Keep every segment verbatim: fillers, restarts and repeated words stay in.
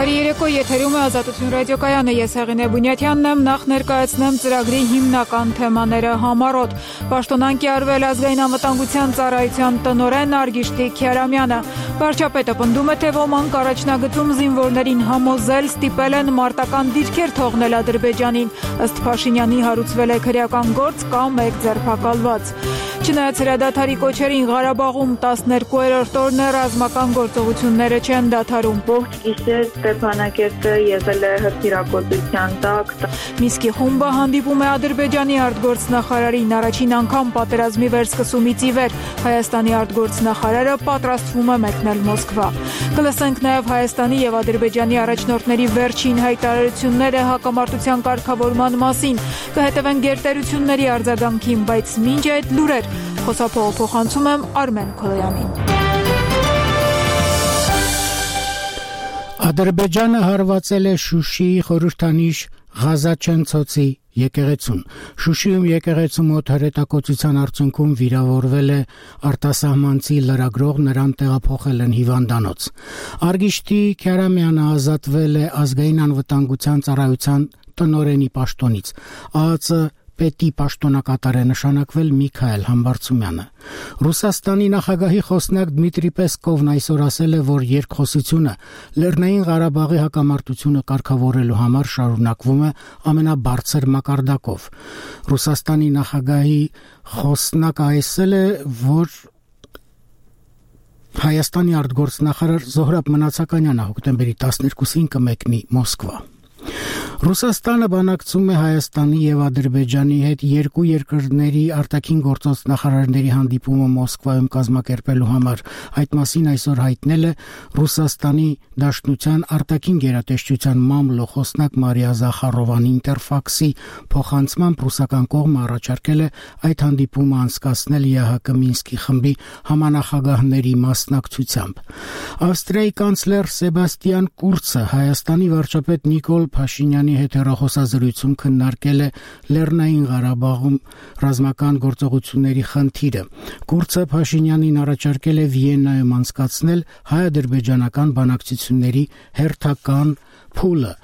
Բարի երեկո, եթերում է Ազատություն ռադիոկայանը, ես Հեղինե Բունյաթյանն եմ, նախ ներկայացնեմ ծրագրի հիմնական թեմաները համառոտ։ Պաշտոնան կիրառվել ազգային անվտանգության ծառայության տնօրեն Արգիշտի Քյարամյանը։ Վարչապետը պնդում է, թե ոմանք առաջնագծում զինվորներին համոզել ստիպել են մարտական դիրքեր թողնել Ադրբեջանին, ըստ Փաշինյանի հարուցվել է քրեական գործ կամ մեկ ձերբակալված։ Չնայած հրադադարի կոչերին Ղարաբաղում տասներկուերորդ օրն է ռազմական գործողությունները չեն դադարում։ Ողջ գիշեր Ստեփանակերտը եղել է հրթիռակոծության տակ։ Մինսկի խումբը հանդիպում է Ադրբեջանի արտգործնախարարին առաջին անգամ պատերազմի վերսկսումից ի վեր։ Հայաստանի արտգործնախարարը պատրաստվում է մեկնել Մոսկվա։ Կլսենք նաև Հայաստանի եւ Ադրբեջանի առաջնորդների վերջին հայտարարությունները հակամարտության կարգավորման մասին։ Կհետևեն գերտերությունների արձագանքին, բայց մինչ այդ լուրեր Խոսափողը փոխանցում եմ Արմեն Քոլոյանին։ Ադրբեջանը հարվածել է Շուշիի խորհրդանիշ Ղազաչենցոցի եկեղեցուն։ Շուշիում եկեղեցու մոտ հրետակոծության արդյունքում վիրավորվել է արտասահմանցի լրագրող, նրան տեղափոխել են հիվանդանոց։ Արգիշտի Քյարամյանը ազատվել է ազգային անվտանգության ծառայության տնօրենի պաշտոնից։ ԱԱԾ պետի պաշտոնակատար է նշանակվել Միքայել Համբարձումյանը։ Ռուսաստանի նախագահի խոսնակ Դմիտրի Պեսկովն այսօր ասել է, որ երկխոսությունը Լեռնային Ղարաբաղի հակամարտությունը կարգավորելու համար շարունակվում է ամենաբարձր մակարդակով։ Ռուսաստանի նախագահի խոսնակը ասել է, որ Հայաստանի արտգործնախարար Զոհրաբ Մնացականյանը հոկտեմբերի տասներկուսին կմեկնի Մոսկվա։ Ռուսաստանը բանակցում է Հայաստանի եւ Ադրբեջանի հետ երկու երկրների արտաքին գործոց նախարարների հանդիպումը Մոսկվայում կազմակերպելու համար։ Այդ մասին այսօր հայտնել է Ռուսաստանի Դաշնության արտաքին գերատեսչության մամլո խոսնակ Մարիա Զախարովան Ինտերֆաքսի փոխանցմամբ ռուսական կողմը առաջարկել է այդ հանդիպումը անցկացնել ԵԱՀԿ Մինսկի խմբի համանախագահների մասնակցությամբ։ Ավստրիայի կանցլեր Սեբաստիան Կուրցը Հայաստանի վարչապետ Նիկոլ Փաշինյանի հետ հեռախոսազրույցում քննարկել է Լեռնային Ղարաբաղում ռազմական գործողությունների խնդիրը։ Կուրցը Փաշինյանին առաջարկել է Վիեննայում անցկացնել հայ-ադրբեջանական բանակցությունների հերթական փուլը։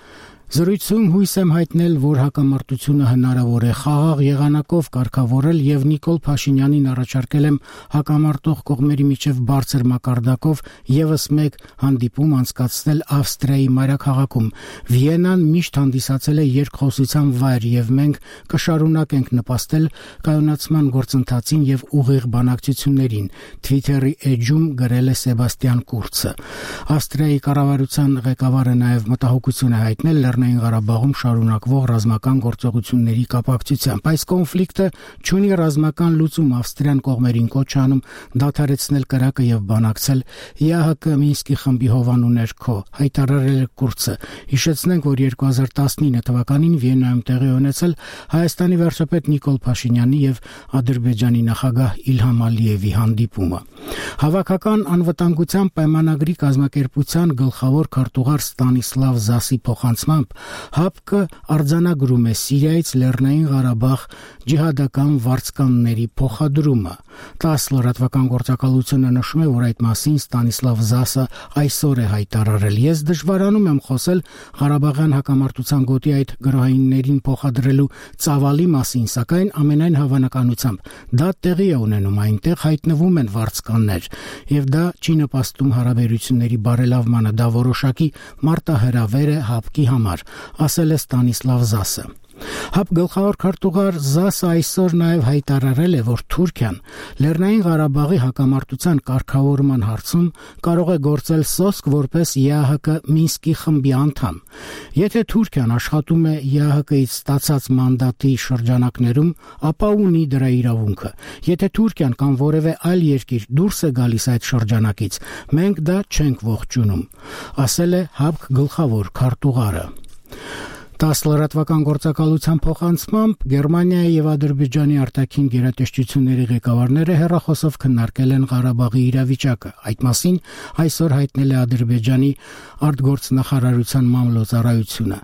Զրույցում հույս եմ հայտնել, որ հակամարտությունը հնարավոր է խաղաղ եղանակով կարգավորել եւ Նիկոլ Փաշինյանին առաջարկել եմ հակամարտող կողմերի միջև բարձր մակարդակով եւս մեկ հանդիպում անցկացնել Ավստրիայի մայրաքաղաքում։ Վիեննան միշտ հանդիսացել է երկխոսության վայր եւ մենք կշարունակենք նպաստել կայունացման գործընթացին եւ ուղիղ բանակցություններին, Twitter-ի էջում գրել է Սեբաստիան Կուրցը։ Ավստրիայի կառավարության ղեկավարը նաեւ մտահոգություն է հայտնել Լեռնային Ղարաբաղում շարունակվող ռազմական գործողությունների կապակցությամբ։ Այս կոնֆլիկտը չունի ռազմական լուծում, Ավստրիան կողմերին կոչ անում դադարեցնել կրակը եւ բանակցել ԵԱՀԿ Մինսկի խմբի հովանու ներքո, հայտարարել է Կուրցը։ Հիշեցնենք, որ երկու հազար տասնինը թվականին Վիեննայում տեղի ունեցել Հայաստանի վարչապետ Նիկոլ Փաշինյանի եւ Ադրբեջանի նախագահ Իլհամ Ալիևի հանդիպումը։ Հավաքական անվտանգության պայմանագրի կազմակերպության գլխավոր քարտուղար Ստանիսլավ Զասի փոխանցմամբ ՀԱՊԿ արձանագրում է Սիրիայից Լեռնային Ղարաբաղ ջիհադական վարձկանների փոխադրումը։ տասը լրատվական գործակալությունը նշում է, որ այդ մասին Ստանիսլավ Զասը այսօր է հայտարարել։ Ես դժվարանում եմ խոսել Ղարաբաղյան հակամարտության գոտի այդ գրոհայիններին փոխադրելու ծավալի մասին, սակայն ամենայն հավանականությամբ դա տեղի է ունենում, այնտեղ հայտնվում են վարձկաններ, եւ դա չի նպաստում հարաբերությունների բարելավմանը, դա որոշակի մարտահրավեր է ՀԱՊԿ-ի համար, ասել է Ստանիսլավ Զասը։ ՀԱՊԿ գլխավոր քարտուղար Զասը այսօր նաև հայտարարել է, որ Թուրքիան Լեռնային Ղարաբաղի հակամարտության կարգավորման հարցում կարող է գործել սոսկ որպես ԵԱՀԿ Մինսկի խմբի անդամ։ Եթե Թուրքիան աշխատում է ԵԱՀԿ-ից ստացած մանդատի շրջանակներում, ապա ունի դրա իրավունքը։ Եթե Թուրքիան կամ որևէ այլ երկիր դուրս է գալիս այդ շրջանակից, մենք դա չենք ողջունում, ասել է ՀԱՊԿ գլխավոր քարտուղարը։ տասը լրատվական գործակալության փոխանցմամբ Գերմանիայի եւ Ադրբեջանի արտաքին գերատեսչությունների ղեկավարները հեռախոսով քննարկել են Ղարաբաղի իրավիճակը։ Այդ մասին այսօր հայտնել է Ադրբեջանի արտգործնախարարության մամլոյ ծառայությունը։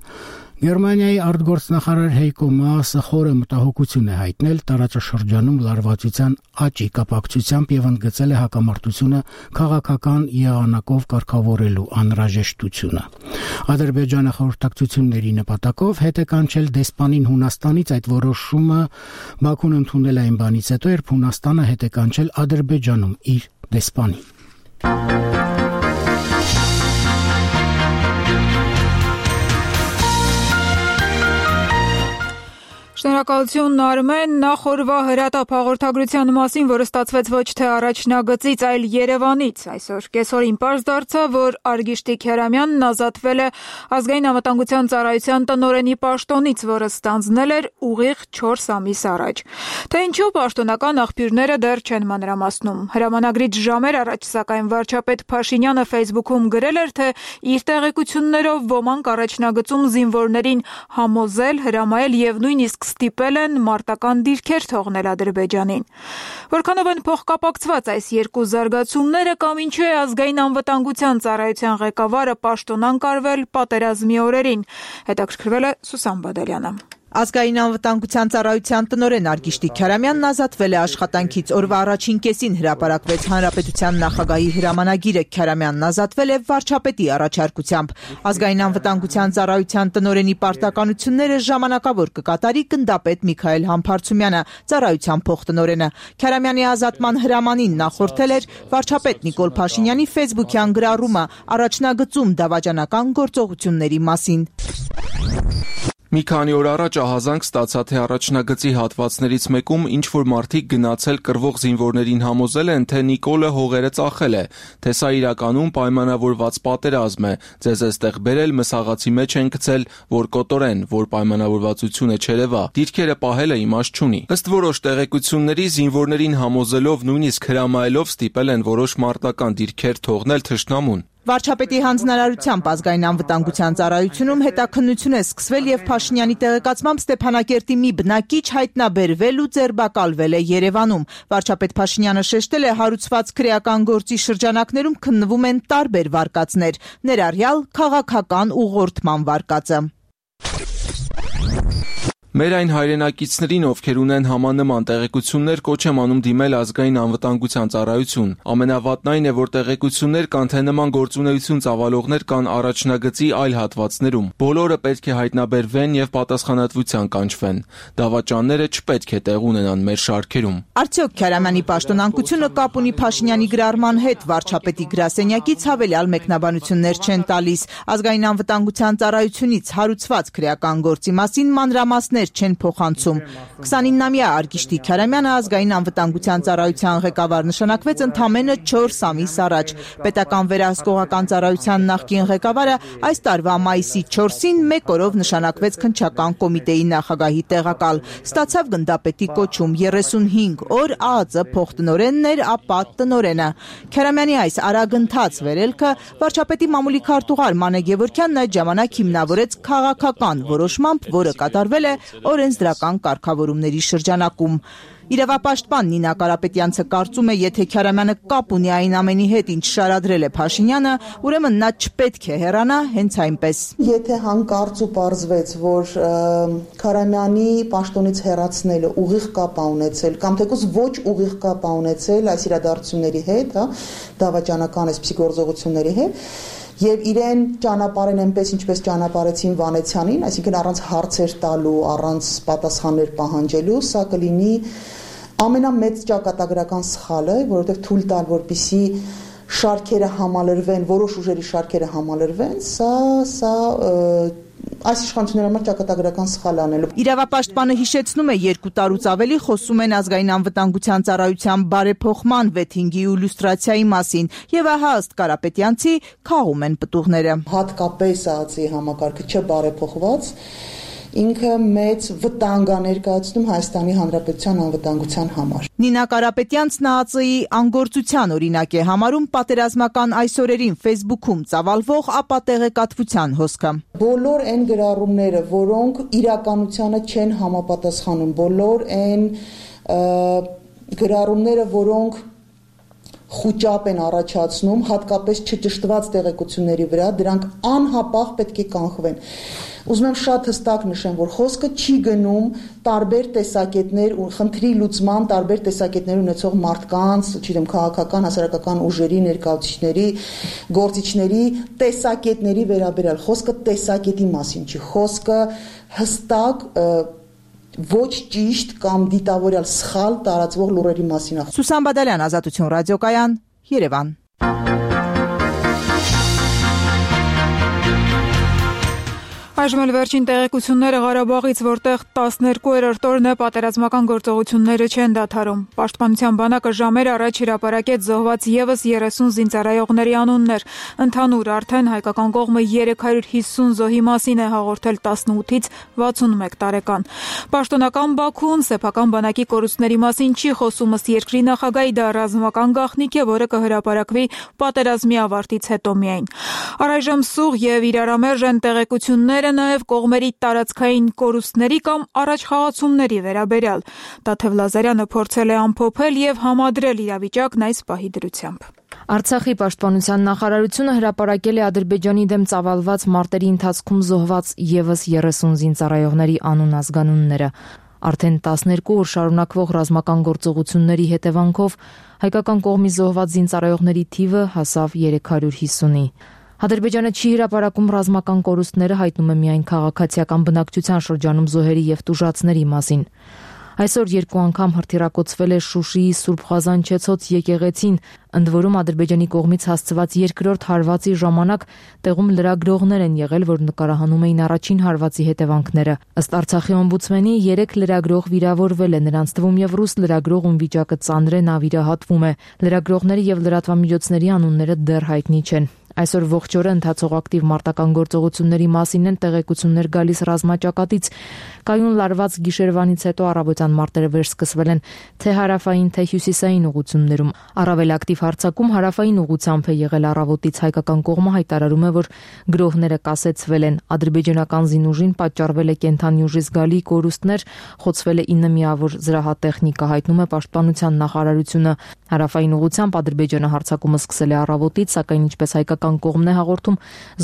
Գերմանիայի արտգործնախարար Հեյկո Մասը խորը մտահոգություն է հայտնել տարածաշրջանում լարվածության աճի կապակցությամբ եւ ընդգծել է հակամարտությունը քաղաքական եղանակով կարգավորելու անհրաժեշտությունը։ Ադրբեջանը խորհրդակցությունների նպատակով հետ է կանչել դեսպանին Հունաստանից, այդ որոշումը Բաքուն ընդունել է այն բանից հետո, երբ Հունաստանը հետ է կանչել Ադրբեջանում իր դեսպանին։ Շնորհակալություն Արմեն, նախորվա հրատապ հաղորդագրության մասին, որը ստացվեց ոչ թե առաջնագծից, այլ Երևանից։ Այսօր կեսօրին պարզ դարձավ, որ Արգիշտիկ Հերամյանն ազատվել է ազգային անվտանգության ծառայության տնօրենի պաշտոնից, որը ստանձնել էր ուղիղ չորս ամիս առաջ։ Թե ինչու պաշտոնական աղբյուրները դեռ չեն մանրամասնում։ Հրամանագրից ժամեր առաջ, սակայն վարչապետ Փաշինյանը Facebook-ում գրել էր, թե իր տեղեկություններով ոմանք առաջնագծում զինվորներին համոզել, հրամայել եւ նույնիսկ ստիպել են մարտական դիրքեր թողնել Ադրբեջանին։ Որքանով են փոխկապակցված այս երկու զարգացումները կամ ինչու է ազգային անվտանգության ծառայության ղեկավարը պաշտոնանկ արվել պատերազմի օրերին, հետաքրքրվել է Սուսան Բադալյանը։ Ազգային անվտանգության ծառայության տնօրեն Արգիշտիկ Հերամյանն ազատվել է աշխատանքից։ Օրվա առաջին կեսին հրապարակվեց Հանրապետության նախագահի հրամանագիրը։ Հերամյանն ազատվել է վարչապետի առաջարկությամբ։ Ազգային անվտանգության ծառայության տնօրենի պարտականությունները ժամանակավոր կկատարի գնդապետ Միքայել Համբարձումյանը, ծառայության փոխտնօրենը։ Հերամյանի ազատման հրամանին նախորդել էր վարչապետ Նիկոլ Փաշինյանի Facebook-յան գրառումը առաջնագծում դավաճանական գործողությունների մասին։ Մի քանի օր առաջ ահազանգ ստացա, թե առաջնագծի հատվածներից մեկում ինչ-որ մարդիկ գնացել կռվող զինվորներին համոզել են, թե Նիկոլը հողերը ծախել է, թե սա իրականում պայմանավորված պատերազմ է, ձեզ էստեղ բերել մսաղացի մեջ են գցել, որ կոտորեն, որ պայմանավորվածությունը չերևա, դիրքերը պահելը իմաստ չունի։ Ըստ որոշ տեղեկությունների զինվորներին համոզելով, նույնիսկ հրամայելով ստիպել են որոշ մարտական դիրքեր թողնել թշնամուն։ Վարչապետի հանձնարարությամբ ազգային անվտանգության ծառայությունում հետաքննություն է սկսվել եւ Փաշինյանի տեղեկացմամբ Ստեփանակերտի մի բնակիչ հայտնաբերվել ու ձերբակալվել է Երևանում։ Վարչապետ Փաշինյանը շեշտել է, հարուցված քրեական գործի շրջանակներում քննվում են տարբեր վարկածներ, ներառյալ քաղաքական ուղղորդման վարկածը։ Մեր այն հայրենակիցներին, ովքեր ունեն համանման տեղեկություններ, կոչ եմ անում դիմել ազգային անվտանգության ծառայություն։ Ամենավատն այն է, որ տեղեկություններ կան, թե նման գործունեություն ծավալողներ կան առաջնագծի այլ հատվածներում։ Բոլորը պետք է հայտնաբերվեն եւ պատասխանատվության կանչվեն։ Դավաճանները չպետք է տեղ ունենան մեր շարքերում։ Արդյոք Հերամյանի պաշտոնանկությունը կապ ունի Փաշինյանի գրառման հետ, վարչապետի գրասենյակից հավելյալ մեկնաբանություններ չեն տալիս։ Ազգային անվտանգության ծառայությունից հարուցված քրեական գործի մասին մանրամասներ չեն փոխանցում։ քսանինամյա Արգիշտիկ Հերամյանը ազգային անվտանգության ծառայության ղեկավար նշանակվեց ընդամենը չորս ամիս առաջ։ Պետական վերահսկողական ծառայության նախկին ղեկավարը այս տարվա մայիսի չորսին մեկ օրով նշանակվեց քննչական կոմիտեի նախագահի տեղակալ։ Ստացավ գնդապետի կոչում, երեսունհինգ օր ԱԱԾ փոխտնօրենն էր, ապա տնօրենը։ Հերամյանի այս արագընթաց վերելքը վարչապետի մամուլի քարտուղար Մանե Գևորգյանն այդ ժամանակ հիմնավորեց քաղաքական որոշմամբ, որը կատարվել է օրենսդրական կարգավորումների շրջանակում։ Իրավապաշտպան Նինա Կարապետյանցը կարծում է, եթե Հերամյանը կապ ունի այն ամենի հետ, ինչ շարադրել է Փաշինյանը, ուրեմն նա չպետք է հեռանա հենց այնպես։ Եթե հանկարծ ու պարզվեց, որ Հերամյանի պաշտոնից հեռացնելը ուղիղ կապ է ունեցել, կամ թեկուզ ոչ ուղիղ կապ է ունեցել այս իրադարձությունների հետ, հա, դավաճանական այսպիսի գործողությունների հետ, եւ իրեն ճանապարհեն այնպես ինչպես ճանապարհեցին Վանեցյանին, այսինքն առանց հարցեր տալու, առանց պատասխաններ պահանջելու, սա կլինի ամենամեծ ճակատագրական սխալը, որովհետեւ թույլ տալ, որպիսի շարքերը համալրվեն, որոշ ուժերի շարքերը համալրվեն, սա սա այս իշխանությունների համար ճակատագրական սխալ անելու։ Իրավապաշտպանը հիշեցնում է, երկու տարուց ավելի խոսում են ազգային անվտանգության ծառայության բարեփոխման վեթինգի ու լյուստրացիայի մասին, եւ ահա ըստ Կարապետյանցի քաղում են պտուղները։ Հատկապես ԱԱԾ-ի համակարգը չբարեփոխված ինքը մեծ վտանգ է ներկայացնում Հայաստանի Հանրապետության անվտանգության համար։ Նինա Կարապետյանցն ԱԱԾ-ի անգործության օրինակ է համարում պատերազմական այս օրերին Facebook-ում ծավալվող ապատեղեկատվության հոսքը։ Բոլոր այն գրառումները, որոնք իրականությանը չեն համապատասխանում, բոլոր այն գրառումները, որոնք խուճապ են առաջացնում, հատկապես չճշտված տեղեկությունների վրա, դրանք անհապաղ պետք է կանխվեն։ Ուզում եմ շատ հստակ նշեմ, որ խոսքը չի գնում տարբեր տեսակետներ ու խնդրի լուծման տարբեր տեսակետներ ունեցող մարդկանց, չգիտեմ, քաղաքական, հասարակական ուժերի, ներկայացուցիչների, գործիչների տեսակետների վերաբերյալ։ Խոսքը տեսակետի մասին չի, խոսքը հստակ ոչ ճիշտ կամ դիտավորյալ սխալ տարածվող լուրերի մասին է։ Սուսան Բադալյան, Ազատություն ռադիոկայան, Երևան։ Այժմ էլ վերջին տեղեկությունները Ղարաբաղից, որտեղ տասներկուերորդ օրն է պատերազմական գործողությունները չեն դադարում։ Պաշտպանության բանակը ժամեր առաջ հրապարակեց զոհված ևս երեսուն զինծառայողների անուններ։ Ընդհանուր արդեն հայկական կողմը երեք հարյուր հիսուն զոհի մասին է հաղորդել տասնութից վաթսունմեկ տարեկան։ Պաշտոնական Բաքուն սեփական բանակի կորուստների մասին չի խոսում, ըստ երկրի նախագահի, դա ռազմական գաղտնիք է, որը կհրապարակվի պատերազմի ավարտից հետո միայն։ Առայժմ սուղ եւ իրարամերժ են տեղեկությունները նաև կողմերի տարածքային կորուստների կամ առաջխաղացումների վերաբերյալ։ Տաթև Լազարյանը փորձել է ամփոփել եւ համադրել իրավիճակն այս պահի դրությամբ։ Արցախի պաշտպանության նախարարությունը հրապարակել է Ադրբեջանի դեմ ծավալված մարտերի ընթացքում զոհված ևս երեսուն զինծառայողների անուն-ազգանունները։ Արդեն տասներկու օր շարունակվող ռազմական գործողությունների հետևանքով հայկական կողմի զոհված զինծառայողների թիվը հասավ երեք հարյուր հիսունի։ Ադրբեջանը չի հրապարակում ռազմական կորուստները, հայտնում է միայն քաղաքացիական բնակչության շրջանում զոհերի եւ տուժածների մասին։ Այսօր երկու անգամ հրթիռակոծվել է Շուշիի Սուրբ Ղազանչեցոց եկեղեցին, ընդ որում Ադրբեջանի կողմից հասցված երկրորդ հարվածի ժամանակ տեղում լրագրողներ են եղել, որ նկարահանում էին առաջին հարվածի հետևանքները։ Ըստ Արցախի օմբուդսմենի երեք լրագրող վիրավորվել է, նրանց թվում եւ ռուս լրագրող, ում վիճակը ծանր է, նա վիրահատվում է։ Լրագրողների եւ լրատվամիջոցների անունները դեռ հայտնի չեն։ Այսօր ողջ օրը ընթացող ակտիվ մարտական գործողությունների մասին են տեղեկություններ գալիս ռազմաճակատից։ Կայուն լարված գիշերվանից հետո առավոտյան մարտերը վերսկսվել են թե հարավային, թե հյուսիսային ուղություններում։ Առավել ակտիվ հարձակում հարավային ուղությամբ է եղել առավոտից։ Հայկական կողմը հայտարարում է, որ գրոհները կասեցվել են։ Ադրբեջանական զինուժին պատճառվել է կենթանի ուժի զգալի կորուստներ, խոցվել է ինը միավոր զրահատեխնիկա, հայտնում է Պաշտպանության նախարարությունը։ Հարավային ուղությամբ Ադրբեջանը հարձակումը սկսել է առավոտից, սակայն ինչպես հայկական կողմն է հաղորդում,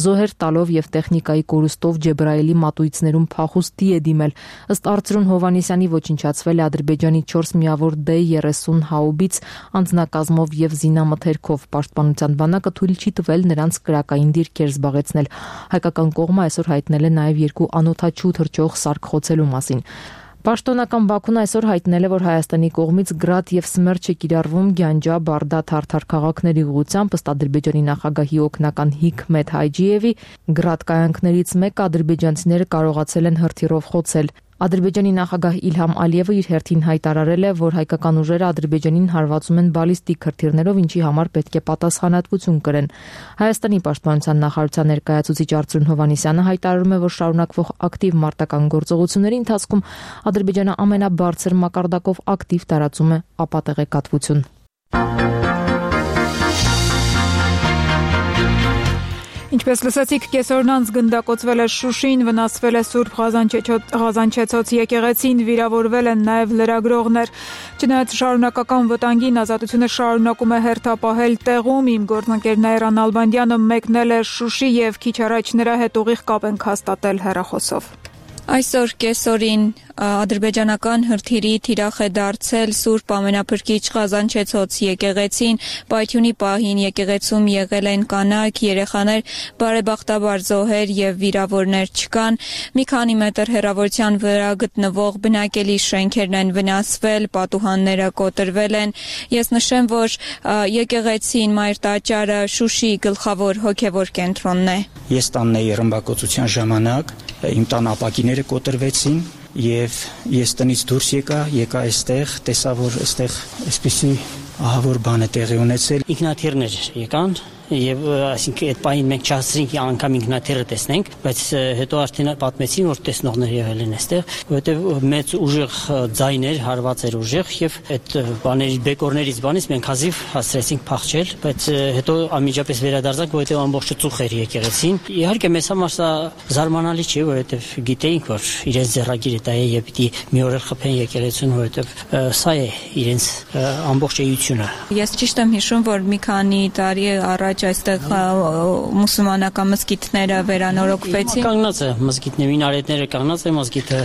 զոհեր տալով եւ տեխնիկայի կորուստով Ջեբրայելի մատույցներում փախուստի է դիմել։ Ըստ Արծրուն Հովանեսյանի ոչնչացվել է Ադրբեջանի չորս միավոր դե երեսուն հաուբից անձնակազմով եւ զինամթերքով։ Պաշտպանության բանակը թույլ չի տվել նրանց կրակային դիրքեր զբաղեցնել։ Հայկական կողմը այսօր հայտնել է նաեւ երկու անօդաչու թռչող սարք խոցելու մասին։ Պաշտոնական Բաքուն այսօր հայտնել է, որ Հայաստանի կողմից Գրադ եւ Սմերչ է կիրառվում Գյանջա, Բարդա, Թարթար քաղաքների ուղղությամբ, ըստ Ադրբեջանի նախագահի օգնական Հիկմետ Հայջիևի, Գրադ կայանքներից մեկը ադրբեջանցիները կարողացել են հրթիռով խոցել։ Ադրբեջանի նախագահ Իլհամ Ալիևը իր հերթին հայտարարել է, որ հայկական ուժերը Ադրբեջանին հարվածում են բալիստիկ հրթիռներով, ինչի համար պետք է պատասխանատվություն կրեն։ Հայաստանի պաշտպանության նախարարության ներկայացուցիչ Արծրուն Հովանեսյանը հայտարարում է, որ շարունակվող ակտիվ մարտական գործողությունների ընթացքում Ադրբեջանը ամենաբարձր մակարդակով ակտիվ տարածում է ապատեղեկատվություն։ Ինչպես լսեցիք, կեսօրն անց գնդակոծվել է Շուշին, վնասվել է Սուրբ Ղազանչեցոց եկեղեցին, վիրավորվել են նաև լրագրողներ։ Չնայած շարունակական վտանգին, Ազատությունը շարունակում է հերթապահել տեղում։ Իմ գործընկեր Նայրան Ալբանդյանը մեկնել է Շուշի եւ քիչ առաջ նրա հետ ուղիղ կապ ենք հաստատել հեռախոսով։ Այսօր կեսօրին ադրբեջանական հրթիռի թիրախ է դարձել Սուրբ Ամենափրկիչ Ղազանչեցոց եկեղեցին։ Պայթյունի պահին եկեղեցում եղել են կանայք, երեխաներ, բարեբախտաբար զոհեր եւ վիրավորներ չկան։ Մի քանի մետր հեռավորության վրա գտնվող բնակելի շենքերն են վնասվել, պատուհանները կոտրվել են։ Ես նշեմ, որ եկեղեցին Մայր տաճարը Շուշի գլխավոր հոգևոր կենտրոնն է։ Ես տանն էի ռմբակոծության ժամանակ, իմ տան ապակիները կոտրվեցին եւ ես տնից դուրս եկա, եկա այստեղ, տեսա, որ այստեղ այսպիսի ահավոր բան է տեղի ունեցել։ Ինքնաթիռներ եկան, եւ այսինքն այդ պահին մենք չհասցրինք անգամ ինքնաթիռը տեսնենք, բայց հետո արդեն պատմեցին, որ տեսնողներ եղել են այստեղ, որովհետեւ մեծ ուժեղ ձայներ հարված էր ուժեղ եւ այդ բաների բեկորներից բանից մենք հազիվ հասցրեցինք փախչել, բայց հետո անմիջապես վերադարձանք, որովհետեւ ամբողջը ծուխ էր եկեղեցին։ Իհարկե մեզ համար սա զարմանալի չէ, որովհետեւ գիտեինք, որ իրենց ձեռագիրը դա է եւ պիտի մի օր խփեն եկեղեցուն, որովհետեւ սա է իրենց ամբողջ էությունը։ Ես ճիշտ եմ հիշում, որ մի քանի տարի առաջ այստեղ մուսուլմանական մզկիթները վերանորոգվեցին։ Կանգնած է մզկիթների մինարետները կանգնած է, մզկիթը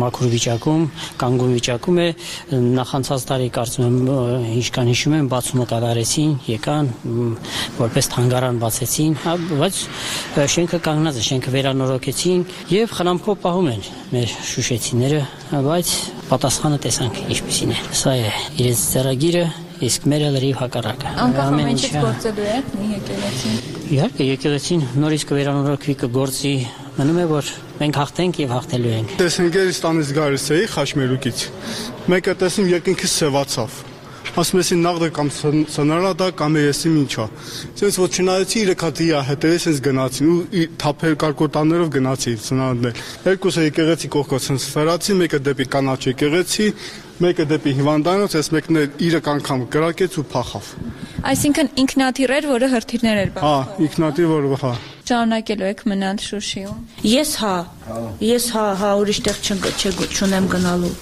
մաքուր վիճակում, կանգուն վիճակում է, նախանցած տարի կարծում եմ ինչքան հիշում եմ բացումը կատարեցին, եկան, որպես թանգարան բացեցին, բայց շենքը կանգնած է, շենքը վերանորոգեցին եւ խնամքով պահում են մեր շուշեցիները, բայց պատասխանը տեսանք ինչպիսին է։ Սա է իրենց ծրագիրը, իսկ մերը լրիվ հակառակը։ Անկախ ամենից գործելու է եկեղեցին։ Իհարկե եկեղեցին նորից կվերանորոգվի, կգործի, մնում է որ մենք հաղթենք եւ հաղթելու ենք։ Տեսնենք Երևանից գալիս էի Խաշմերուկից։ Մեկը տեսնում երկինքից սևացավ։ Ասում էի նաղդը կամ սնարադա կամ եսիմ ինչա։ Սենց որ չնայեցի իրեք հատիա հետևից սենց գնացին ու թափեր կարկոտաներով գնացի սնարադներ։ Երկուսը եկեղեցի կողքով սենց ֆերացի, մեկը դեպի կանաչ եկեղեցի, մեկը դեպի հիվանդանոց, այս մեկն իրեք անգամ կրակեց ու փախավ։ Այսինքն ինքնաթիռ էր, որը հրթիռներ էր բախում։ Հա, ինքնաթիռ, որը հա։ Շարունակելու եք մնալ Շուշիում։ Ես հա, ես հա, հա ուրիշ տեղ չունեմ գնալու։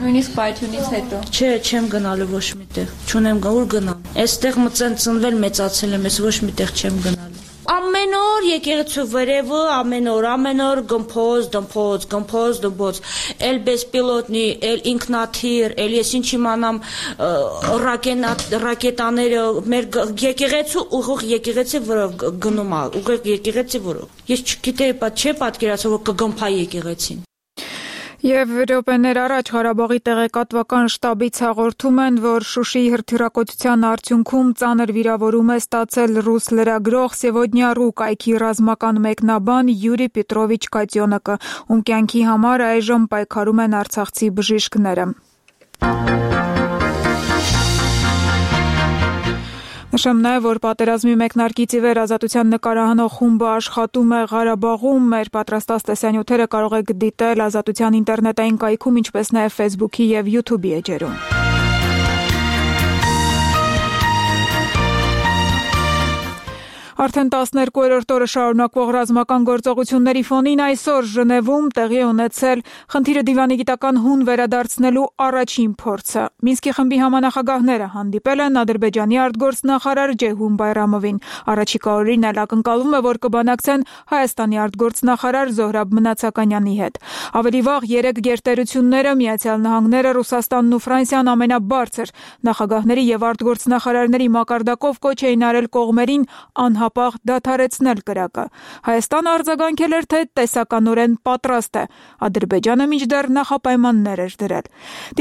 Նույնիսկ պայթյունից հետո։ Չէ, չեմ գնալու ոչ մի տեղ։ Չունեմ գա, ուր գնամ։ Այստեղ մծեն ծնվել, մեծացել եմ, ես ոչ մի տեղ չեմ գնալու։ Ամեն օր եկեղեցու վերևը, ամեն օր, ամեն օր գմփոզ, դմփոզ, գմփոզ, դմփոզ, էլ բեսպիլոտնի, էլ ինքնաթիռ, էլ ես ինչ իմանամ ռակետաները, մեր եկեղեցու ուղիղ եկեղեցի վրով գնում է, ուղիղ եկեղեցի վրով։ Ես չգիտեի, չէ պատկերացել, որ կգմփա եկեղեցին։ Եվ րոպեներ առաջ Ղարաբաղի տեղեկատվական շտաբից հաղորդում են, որ Շուշիի հրթիռակոծության արդյունքում ծանր վիրավորում է ստացել ռուս լրագրող Սևոդնյա Ռու կայքի ռազմական մեկնաբան Յուրի Պետրովիչ Կատյոնոկը, ում կյանքի համար այժմ պայքարում են արցախցի բժիշկները։ Նշեմ նաև, որ պատերազմի մեկնարկից ի վեր ազատության նկարահանող խումբը աշխատում է Ղարաբաղում, մեր պատրաստած տեսանյութերը կարող եք դիտել ազատության ինտերնետային կայքում, ինչպես նաև Facebook-ի և YouTube-ի էջերում։ Արդեն տասներկուերորդ օրը շարունակվող ռազմական գործողությունների ֆոնին այսօր Ժնևում տեղի ունեցել խնդիրը դիվանագիտական հուն վերադարձնելու առաջին փորձը։ Մինսկի խմբի համանախագահները հանդիպել են Ադրբեջանի արտգործնախարար Ջեյհուն Բայրամովին։ Առաջիկա օրերին էլ ակնկալվում է, որ կբանակցեն Հայաստանի արտգործնախարար Զոհրաբ Մնացականյանի հետ։ Ավելի վաղ երեք գերտերությունները Միացյալ Նահանգները, Ռուսաստանն ու Ֆրանսիան ամենաբարձր նախագահների եւ արտգործնախարարների մակարդակով կոչ էին արել կողմերին անհապաղ դադարեցնել կրակը։ Հայաստանը արձագանքել էր, թե տեսականորեն պատրաստ է։ Ադրբեջանը մինչդեռ նախապայմաններ էր դրել։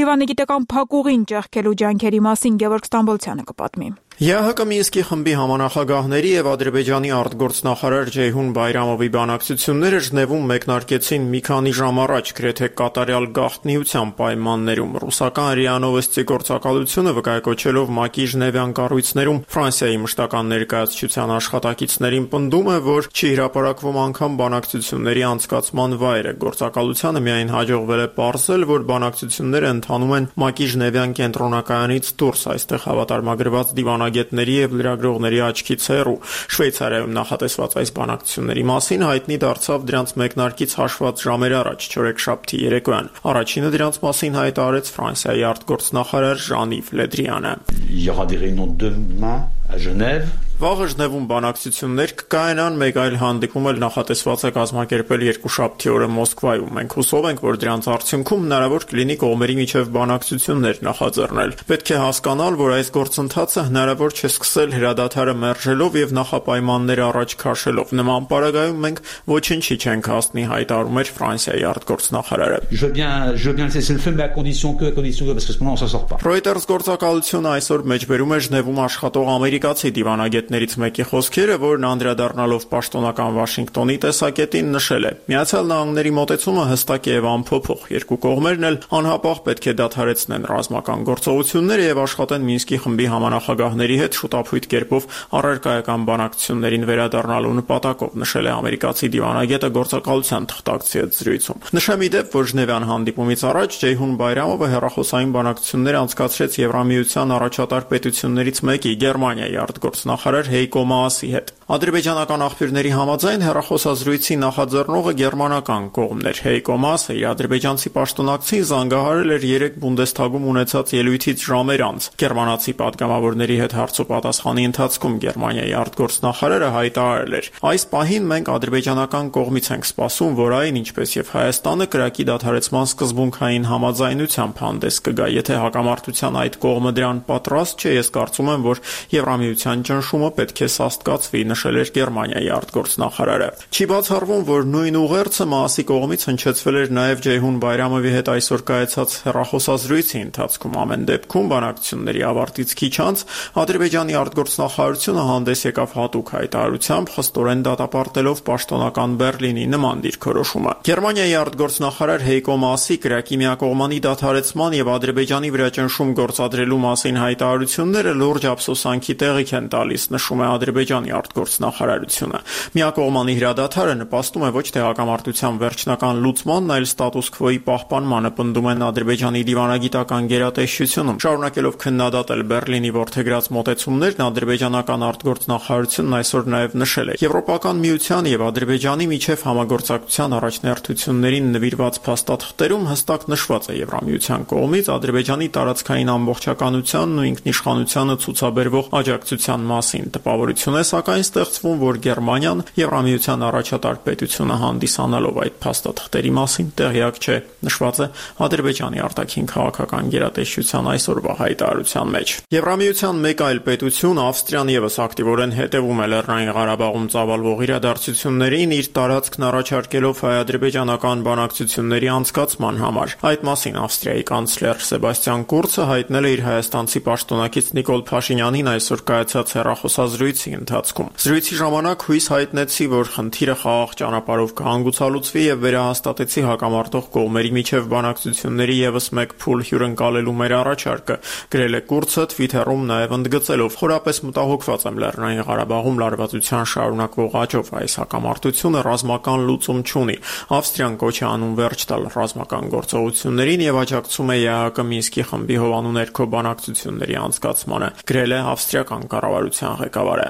Դիվանագիտական փակուղին ճեղքելու ջանքերի մասին Գևորգ Ստամբոլցյանը կպատմի։ ԵԱՀԿ Մինսկի խմբի համանախագահների եւ Ադրբեջանի արտգործնախարար Ջեյհուն Բայրամովի բանակցությունները Ժնևում մեկնարկեցին մի քանի ժամ առաջ գրեթե կատարյալ գաղտնիության պայմաններում։ Ռուսական ՌԻԱ Նովոստի գործակալությունը վկայակոչելով ՄԱԿ-ի ժնևյան կառույցներում Ֆրանսիայի մշտական ներկայացության աշխատակիցներին պնդում է, որ չի հրապարակվում անգամ բանակցությունների անցկացման վայրը։ Գործակալությանը միայն հաջողվել է պարզել, որ բանակցությունները ընթանում են ՄԱԿ-ի ժնևյան կենտրոնակայանից դուրս, այստեղ հավատարմագրված դիվանագետների եւ լրագրողների աչքից հեռու։ Շվեյցարիայում նախատեսված այս բանակցությունների մասին հայտնի դարձավ դրանց մեկնարկից հաշված ժամեր առաջ, չորեքշաբթի երեկոյան։ Առաջինը դրանց մասին հայտարարեց Ֆրանսիայի արտգործնախարար Ժան-Իվ Լեդրիանը։ Il y aura des réunions demain à Genève. Վաղը Ժնևում բանակցություններ կկայանան, մեկ այլ հանդիպում էլ նախատեսված է կազմակերպել երկուշաբթի օրը Մոսկվայում։ Մենք հուսով ենք, որ դրանց արդյունքում հնարավոր կլինի կողմերի միջև բանակցություններ նախաձեռնել։ Պետք է հասկանալ, որ այս գործընթացը հնարավոր չէ սկսել հրադադարը մերժելով եւ նախապայմաններ առաջ քաշելով։ Նման պարագայում մենք ոչինչի չենք հասնի, հայտարարում էր Ֆրանսիայի արտգործնախարարը։ Je veux bien, je veux bien laisser le feu, mais à condition que, à condition que, parce que sinon on s'en sort pas. Reuters գործակալությունը այսօր մեջբերում է Ժնևում աշխատող ամերիկացի դիվանագետ մասնագետներից մեկի խոսքերը, որն անդրադառնալով պաշտոնական Վաշինգտոնի տեսակետին նշել է. Միացյալ Նահանգների մոտեցումը հստակ է եւ անփոփոխ։ Երկու կողմերն էլ անհապաղ պետք է դադարեցնեն ռազմական գործողությունները եւ աշխատեն Մինսկի խմբի համանախագահների հետ շուտափույթ կերպով առարկայական բանակցություններին վերադառնալու նպատակով, նշել է ամերիկացի դիվանագետը գործակալության թղթակցի հետ զրույցում։ Նշեմ ի դեպ, որ Ժնևյան հանդիպումից առաջ Ջեյհուն Բայրամովը հեռախոսային բանակցություններ անցկացրեց Եվրամիության առաջատար պետություններից մեկի Գերմանիայի արտգործնախարար Հեյկո Մաասի հետ։ Ադրբեջանական աղբյուրների համաձայն հեռախոսազրույցի նախաձեռնողը գերմանական կողմն էր։ Հեյկո Մաասը իր ադրբեջանցի պաշտոնակցին զանգահարել էր երեք Բունդեսթագում ունեցած ելույթից ժամեր անց։ Գերմանացի պատգամավորների հետ հարցոպատասխանի ընթացքում Գերմանիայի արտգործնախարարը հայտարարել էր. «Այս պահին մենք ադրբեջանական կողմից ենք սպասում, որ այն, ինչպես եւ Հայաստանը, կրակի դադարեցման սկզբունքային համաձայնությամբ հանդես կգա։ Եթե հակամարտության այդ կողմը դրան պատրաստ չէ, ես կարծում եմ, որ Եվրամիության ճնշումը պետք է սաստկացվի», նշել էր Գերմանիայի արտգործնախարարը։ Չի բացառվում, որ նույն ուղերձը Մաասի կողմից հնչեցվել էր նաեւ Ջեյհուն Բայրամովի հետ այսօր կայացած հեռախոսազրույցի ընթացքում։ Ամեն դեպքում բանակցությունների ավարտից քիչ անց Ադրբեջանի արտգործնախարարությունը հանդես եկավ հատուկ հայտարարությամբ, խստորեն դատապարտելով պաշտոնական Բեռլինի նման դիրքորոշումը։ Գերմանիայի արտգործնախարար Հեյկո Մաասի կրակի միակողմանի դադարեցման եւ Ադրբեջանի վրա ճնշում գործադրելու մասին հայտարարությունները լուրջ ափսոսանքի տեղիք են տալիս, նշում է Ադրբեջանի արտգործնախարարությունը։ Միակողմանի հրադադարը նպաստում է ոչ թե հակամարտության վերջնական լուծմանն, այլ ստատուս քվոյի պահպանմանը, պնդում են Ադրբեջանի դիվանագիտական գերատեսչությունում։ Շարունակելով քննադատել Բեռլինի որդեգրած մոտեցումներն, ադրբեջանական արտգործնախարարությունն այսօր նաեւ նշել է. «Եվրոպական միության եւ Ադրբեջանի միջև համագործակցության առաջնահերթություններին նվիրված փաստաթղթերում հստակ նշված է Եվրամիության կողմից Ադրբեջանի տարածքային ամբողջականությանն ու ինքնիշխանությանը ցուցաբերվող աջակցության մասին տպավորություն է, սակայն ստեղծվում, որ Գերմանիան Եվրամիության առաջատար պետությունը հանդիսանալով այդ փաստաթղթերի մասին տեղյակ չէ», նշված է Ադրբեջանի արտաքին քաղաքական գերատեսչության այսօրվա հայտարարության մեջ։ Եվրամիության մեկ այլ պետություն, Ավստրիան, եւս ակտիվորեն հետևում է Լեռնային Ղարաբաղում ծավալվող իրադարձություններին, իր տարածքն առաջարկելով հայ-ադրբեջանական բանակցությունների անցկացման համար։ Այդ մասին Ավստրիայի կանցլեր Սեբաստիան Կուրցը հայտնել է իր հայաստանցի պաշտոնակից Նիկոլ Փաշինյանին այսօր կայացած հեռախոսազրույցի ընթացքում։ Զրույցի ժամանակ հույս հայտնեցի, որ խնդիրը խաղաղ ճանապարհով կհանգուցալուծվի եւ վերահաստատեցի հակամարտող կողմերի միջև բանակցությունների եւս մեկ փուլ հյուրընկալելու մեր առաջարկը, գրել է Կուրցը Twitter-ում նաեւ ընդգծելով. «Խորապես մտահոգված եմ Լեռնային Ղարաբաղում լարվածության շարունակվող աճով, այս հակամարտությունը ռազմական լուծում չունի։ Ավստրիան կոչ է անում վերջ տալ ռազմական գործողություններին եւ աջակցում է ԵԱՀԿ Մինսկի խմբի հովանու ներքո բանակցությունների անցկացմանը», գրել է ավստրիական կառավարության ղեկավարը։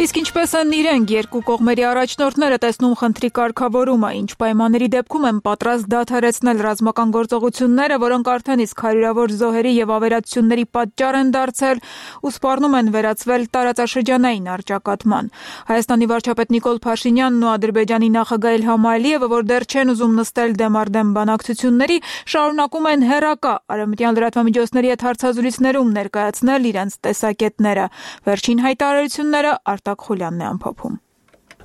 Իսկ ինչպես են իրենք երկու կողմերի առաջնորդները տեսնում խնդրի կարգավորումը, ինչ պայմանների դեպքում են պատրաստ դադարեցնել ռազմական գործողությունները, որոնք արդեն իսկ հարյուրավոր զոհերի եւ ավերածությունների պատճառ են դարձել ու սպառնում են վերածվել տարածաշրջանային առճակատման։ Հայաստանի վարչապետ Նիկոլ Փաշինյանն ու Ադրբեջանի նախագահ Իլհամ Ալիևը, որ դեռ չեն ուզում նստել դեմարդեմ բանակցությունների, շարունակում են հերակա արևմտյան լրատվամիջոցների հետ հարցազրույցներում ներկայացնել իրենց տեսակետները։ Վերջին հայտարարությունները Խուլյանն է ամփոփում։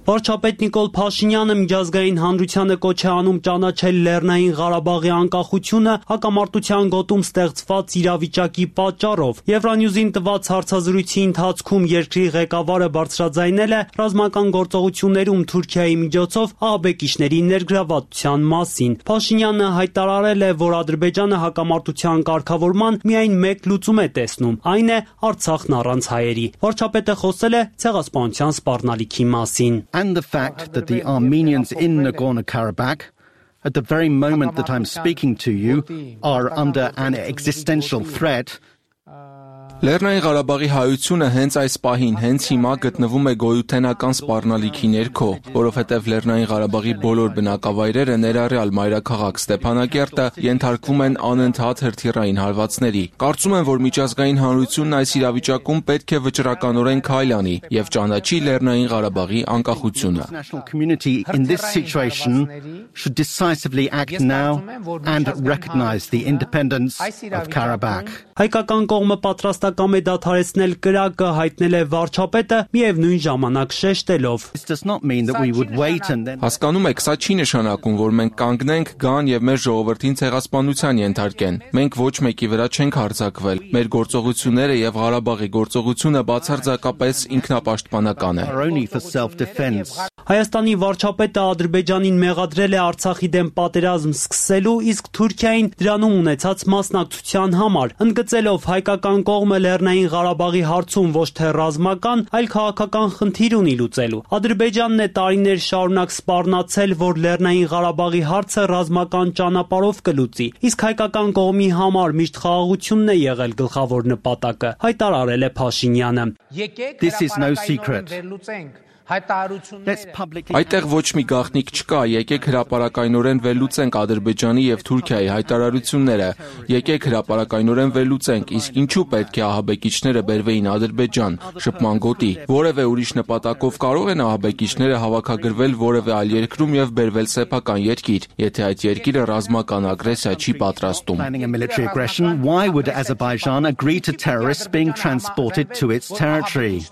Վարչապետ Նիկոլ Փաշինյանը միջազգային հանրությանը կոչ է անում ճանաչել Լեռնային Ղարաբաղի անկախությունը հակամարտության գոտում ստեղծված իրավիճակի պատճառով։ Եվրանյուզին տված հարցազրույցի ընթացքում երկրի ղեկավարը բարձրաձայնել է ռազմական գործողություններում Թուրքիայի միջոցով ահաբեկիչների ներգրավվածության մասին։ Փաշինյանը հայտարարել է, որ Ադրբեջանը հակամարտության կարգավորման միայն մեկ լուծում է տեսնում, այն է Արցախն առանց հայերի։ Վարչապետը խոսել է ցեղասպանության սպառնալիքի մասին։ And the fact that the Armenians in Nagorno-Karabakh, at the very moment that I'm speaking to you, are under an existential threat. Լեռնային Ղարաբաղի հայությունը հենց այս պահին, հենց հիմա գտնվում է գոյութենական սպառնալիքի ներքո, որովհետև Լեռնային Ղարաբաղի բոլոր բնակավայրերը, ներառյալ մայրաքաղաք Ստեփանակերտը, ենթարկվում են անընդհատ հրթիռային հարվածների։ Կարծում եմ, որ միջազգային հանրությունն այս իրավիճակում պետք է վճռականորեն քայլ անի եւ ճանաչի Լեռնային Ղարաբաղի անկախությունը։ International community in this situation should decisively act now and recognize the independence of Karabakh. Հայկական կողմը պատրաստ բացակամ է դադարեցնել կրակը, հայտնել է վարչապետը, միևնույն ժամանակ շեշտելով. Հասկանում եք, սա չի նշանակում, որ մենք կանգնենք, գան եւ մեր ժողովրդին ցեղասպանության ենթարկեն։ Մենք ոչ մեկի վրա չենք հարձակվել։ Մեր գործողությունները եւ Ղարաբաղի գործողությունը բացարձակապես ինքնապաշտպանական է։ Հայաստանի վարչապետը Ադրբեջանին մեղադրել է Արցախի դեմ պատերազմ սկսելու, իսկ Թուրքիային դրանում ունեցած մասնակցության համար, ընդգծելով հայկական կողմը Լեռնային Ղարաբաղի հարցում ոչ թե ռազմական, այլ քաղաքական խնդիր ունի լուծելու։ Ադրբեջանն է տարիներ շարունակ սպառնացել, որ Լեռնային Ղարաբաղի հարցը ռազմական ճանապարհով կլուծի, իսկ հայկական կողմի համար միշտ խաղաղությունն է եղել գլխավոր նպատակը, հայտարարել է Փաշինյանը։ This is no secret. Այդտեղ ոչ մի գաղտնիք չկա, եկեք հրապարակայնորեն վերլուծենք Ադրբեջանի եւ Թուրքիայի հայտարարությունները, եկեք հրապարակայնորեն վերլուծենք, իսկ ինչու պետք է ահաբեկիչները բերվեին Ադրբեջան, շփման գոտի, որևէ ուրիշ նպատակով կարող են ահաբեկիչները հավաքագրվել որևէ այլ երկրում եւ բերվել սեփական երկիր, եթե այդ երկիրը ռազմական ագրեսիա չի պատրաստում։ Why would Azerbaijan agree to terrorists being transported to its territory?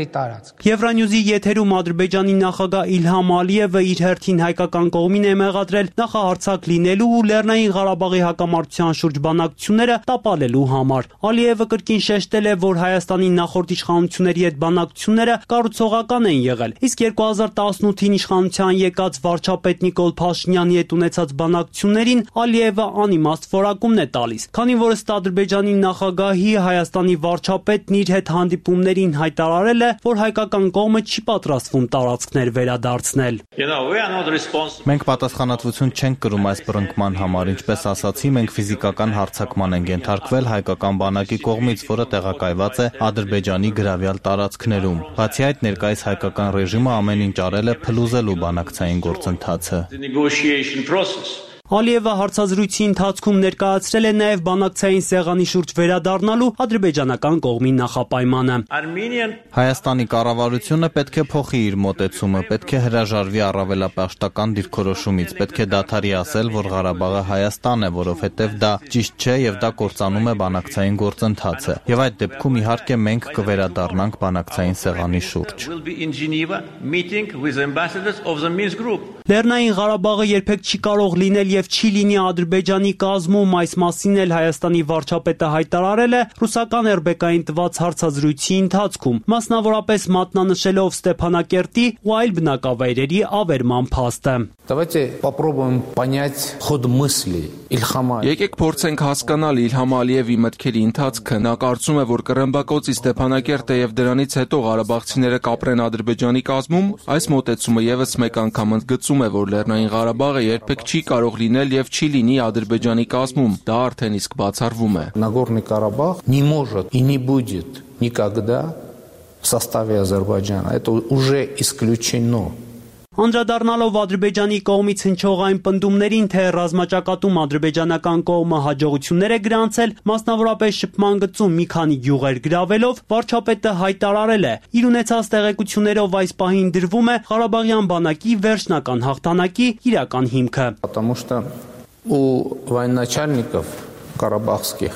Եվրանյուզի եթերում Ադրբեջանի նախագահ Իլհամ Ալիևը իր հերթին հայկական կողմին է մեղադրել նախահարձակ լինելու ու Լեռնային Ղարաբաղի հակամարտության շուրջ բանակցությունները տապալելու համար։ Ալիևը կրկին շեշտել է, որ Հայաստանի նախորդ իշխանությունների հետ բանակցությունները կառուցողական են եղել, իսկ երկու հազար տասնութին իշխանության եկած վարչապետ Նիկոլ Փաշինյանի հետ ունեցած բանակցություններին Ալիևը անիմաստ որակումն է տալիս, քանի որ ըստ Ադրբեջանի նախագահի Հայաստանի վարչապետն իր հետ հանդիպումներին հայտարարել է, որ հայկական կողմը չի պատրաստվում տարածքներ վերադարձնել։ Մենք պատասխանատվություն չենք կրում այս բռնկման համար, ինչպես ասացի, մենք ֆիզիկական հարձակման ենք ենթարկվել հայկական բանակի կողմից, որը տեղակայված է Ադրբեջանի գրավյալ տարածքներում։ Բացի այդ, ներկայիս հայկական ռեժիմը ամեն ինչ արել է փլուզելու բանակցային գործընթացը։ Ալիևը հարցազրույցի ընթացքում ներկայացրել է նաև բանակցային սեղանի շուրջ վերադառնալու ադրբեջանական կողմի նախապայմանը։ Հայաստանի կառավարությունը պետք է փոխի իր մոտեցումը, պետք է հրաժարվի առավելապաշտական դիրքորոշումից, պետք է դադարի ասել, որ Ղարաբաղը Հայաստան է, որովհետև դա ճիշտ չէ եւ դա կործանում է բանակցային գործընթացը։ Եվ այդ դեպքում իհարկե մենք կվերադառնանք բանակցային սեղանի շուրջ։ Լեռնային Ղարաբաղը երբեք չի կարող լինել եւ չի լինի Ադրբեջանի կազմում, այս մասին էլ Հայաստանի վարչապետը հայտարարել է ռուսական Էրբեկային տված հարցազրույցի ընթացքում, մասնավորապես մատնանշելով Ստեփանակերտի ու այլ բնակավայրերի ավերման փաստը։ Եկեք փորձենք հասկանալ Իլհամ Ալիևի մտքերի ընթացքը։ Նա կարծում է, որ կռմբակոծի Ստեփանակերտը եւ դրանից հետո ղարաբաղցիները կապրեն Ադրբեջանի կազմում։ Այս մոտեցումը եւս մեկ անգամ ընդգծում է, որ Լեռնային Ղարաբաղը երբեք չի կարող լինել եւ չի լինի Ադրբեջանի կազմում, դա արդեն իսկ բացառվում է։ Нагорный Карабах не может и не будет никогда в составе Азербайджана. Это уже исключено. Անդրադառնալով Ադրբեջանի կողմից հնչող այն պնդումներին, թե ռազմաճակատում ադրբեջանական կողմը հաջողություններ է գրանցել, մասնավորապես շփման գծում մի քանի գյուղեր գրավելով, վարչապետը հայտարարել է, իր ունեցած տեղեկություններով այս պահին դրվում է Ղարաբաղյան բանակի վերջնական հաղթանակի իրական հիմքը։ Потому что у военачальников карабахских,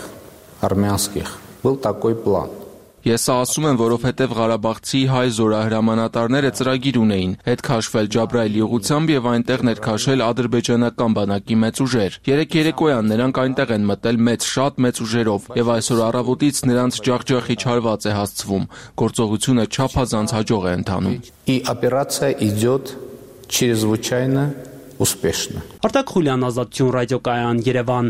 армянских был такой план. Ես ասում եմ, որովհետև Ղարաբաղցի հայ զորահրամանատարները ծրագիր ունեին, հետ քաշվել Ջաբրայելի ուղությամբ եւ այնտեղ ներքաշել ադրբեջանական բանակի մեծ ուժեր։ Երեք երեկոյան նրանք այնտեղ են մտել մեծ շատ մեծ ուժերով եւ այսօր առավոտից նրանց ջախջախի չարված է հասցվում։ Գործողությունը չափազանց հաջող է ընթանում։ И операция идет чрезвычайно успешно. Արտակ Խուլյան, Ազատություն ռադիոկայան, Երևան։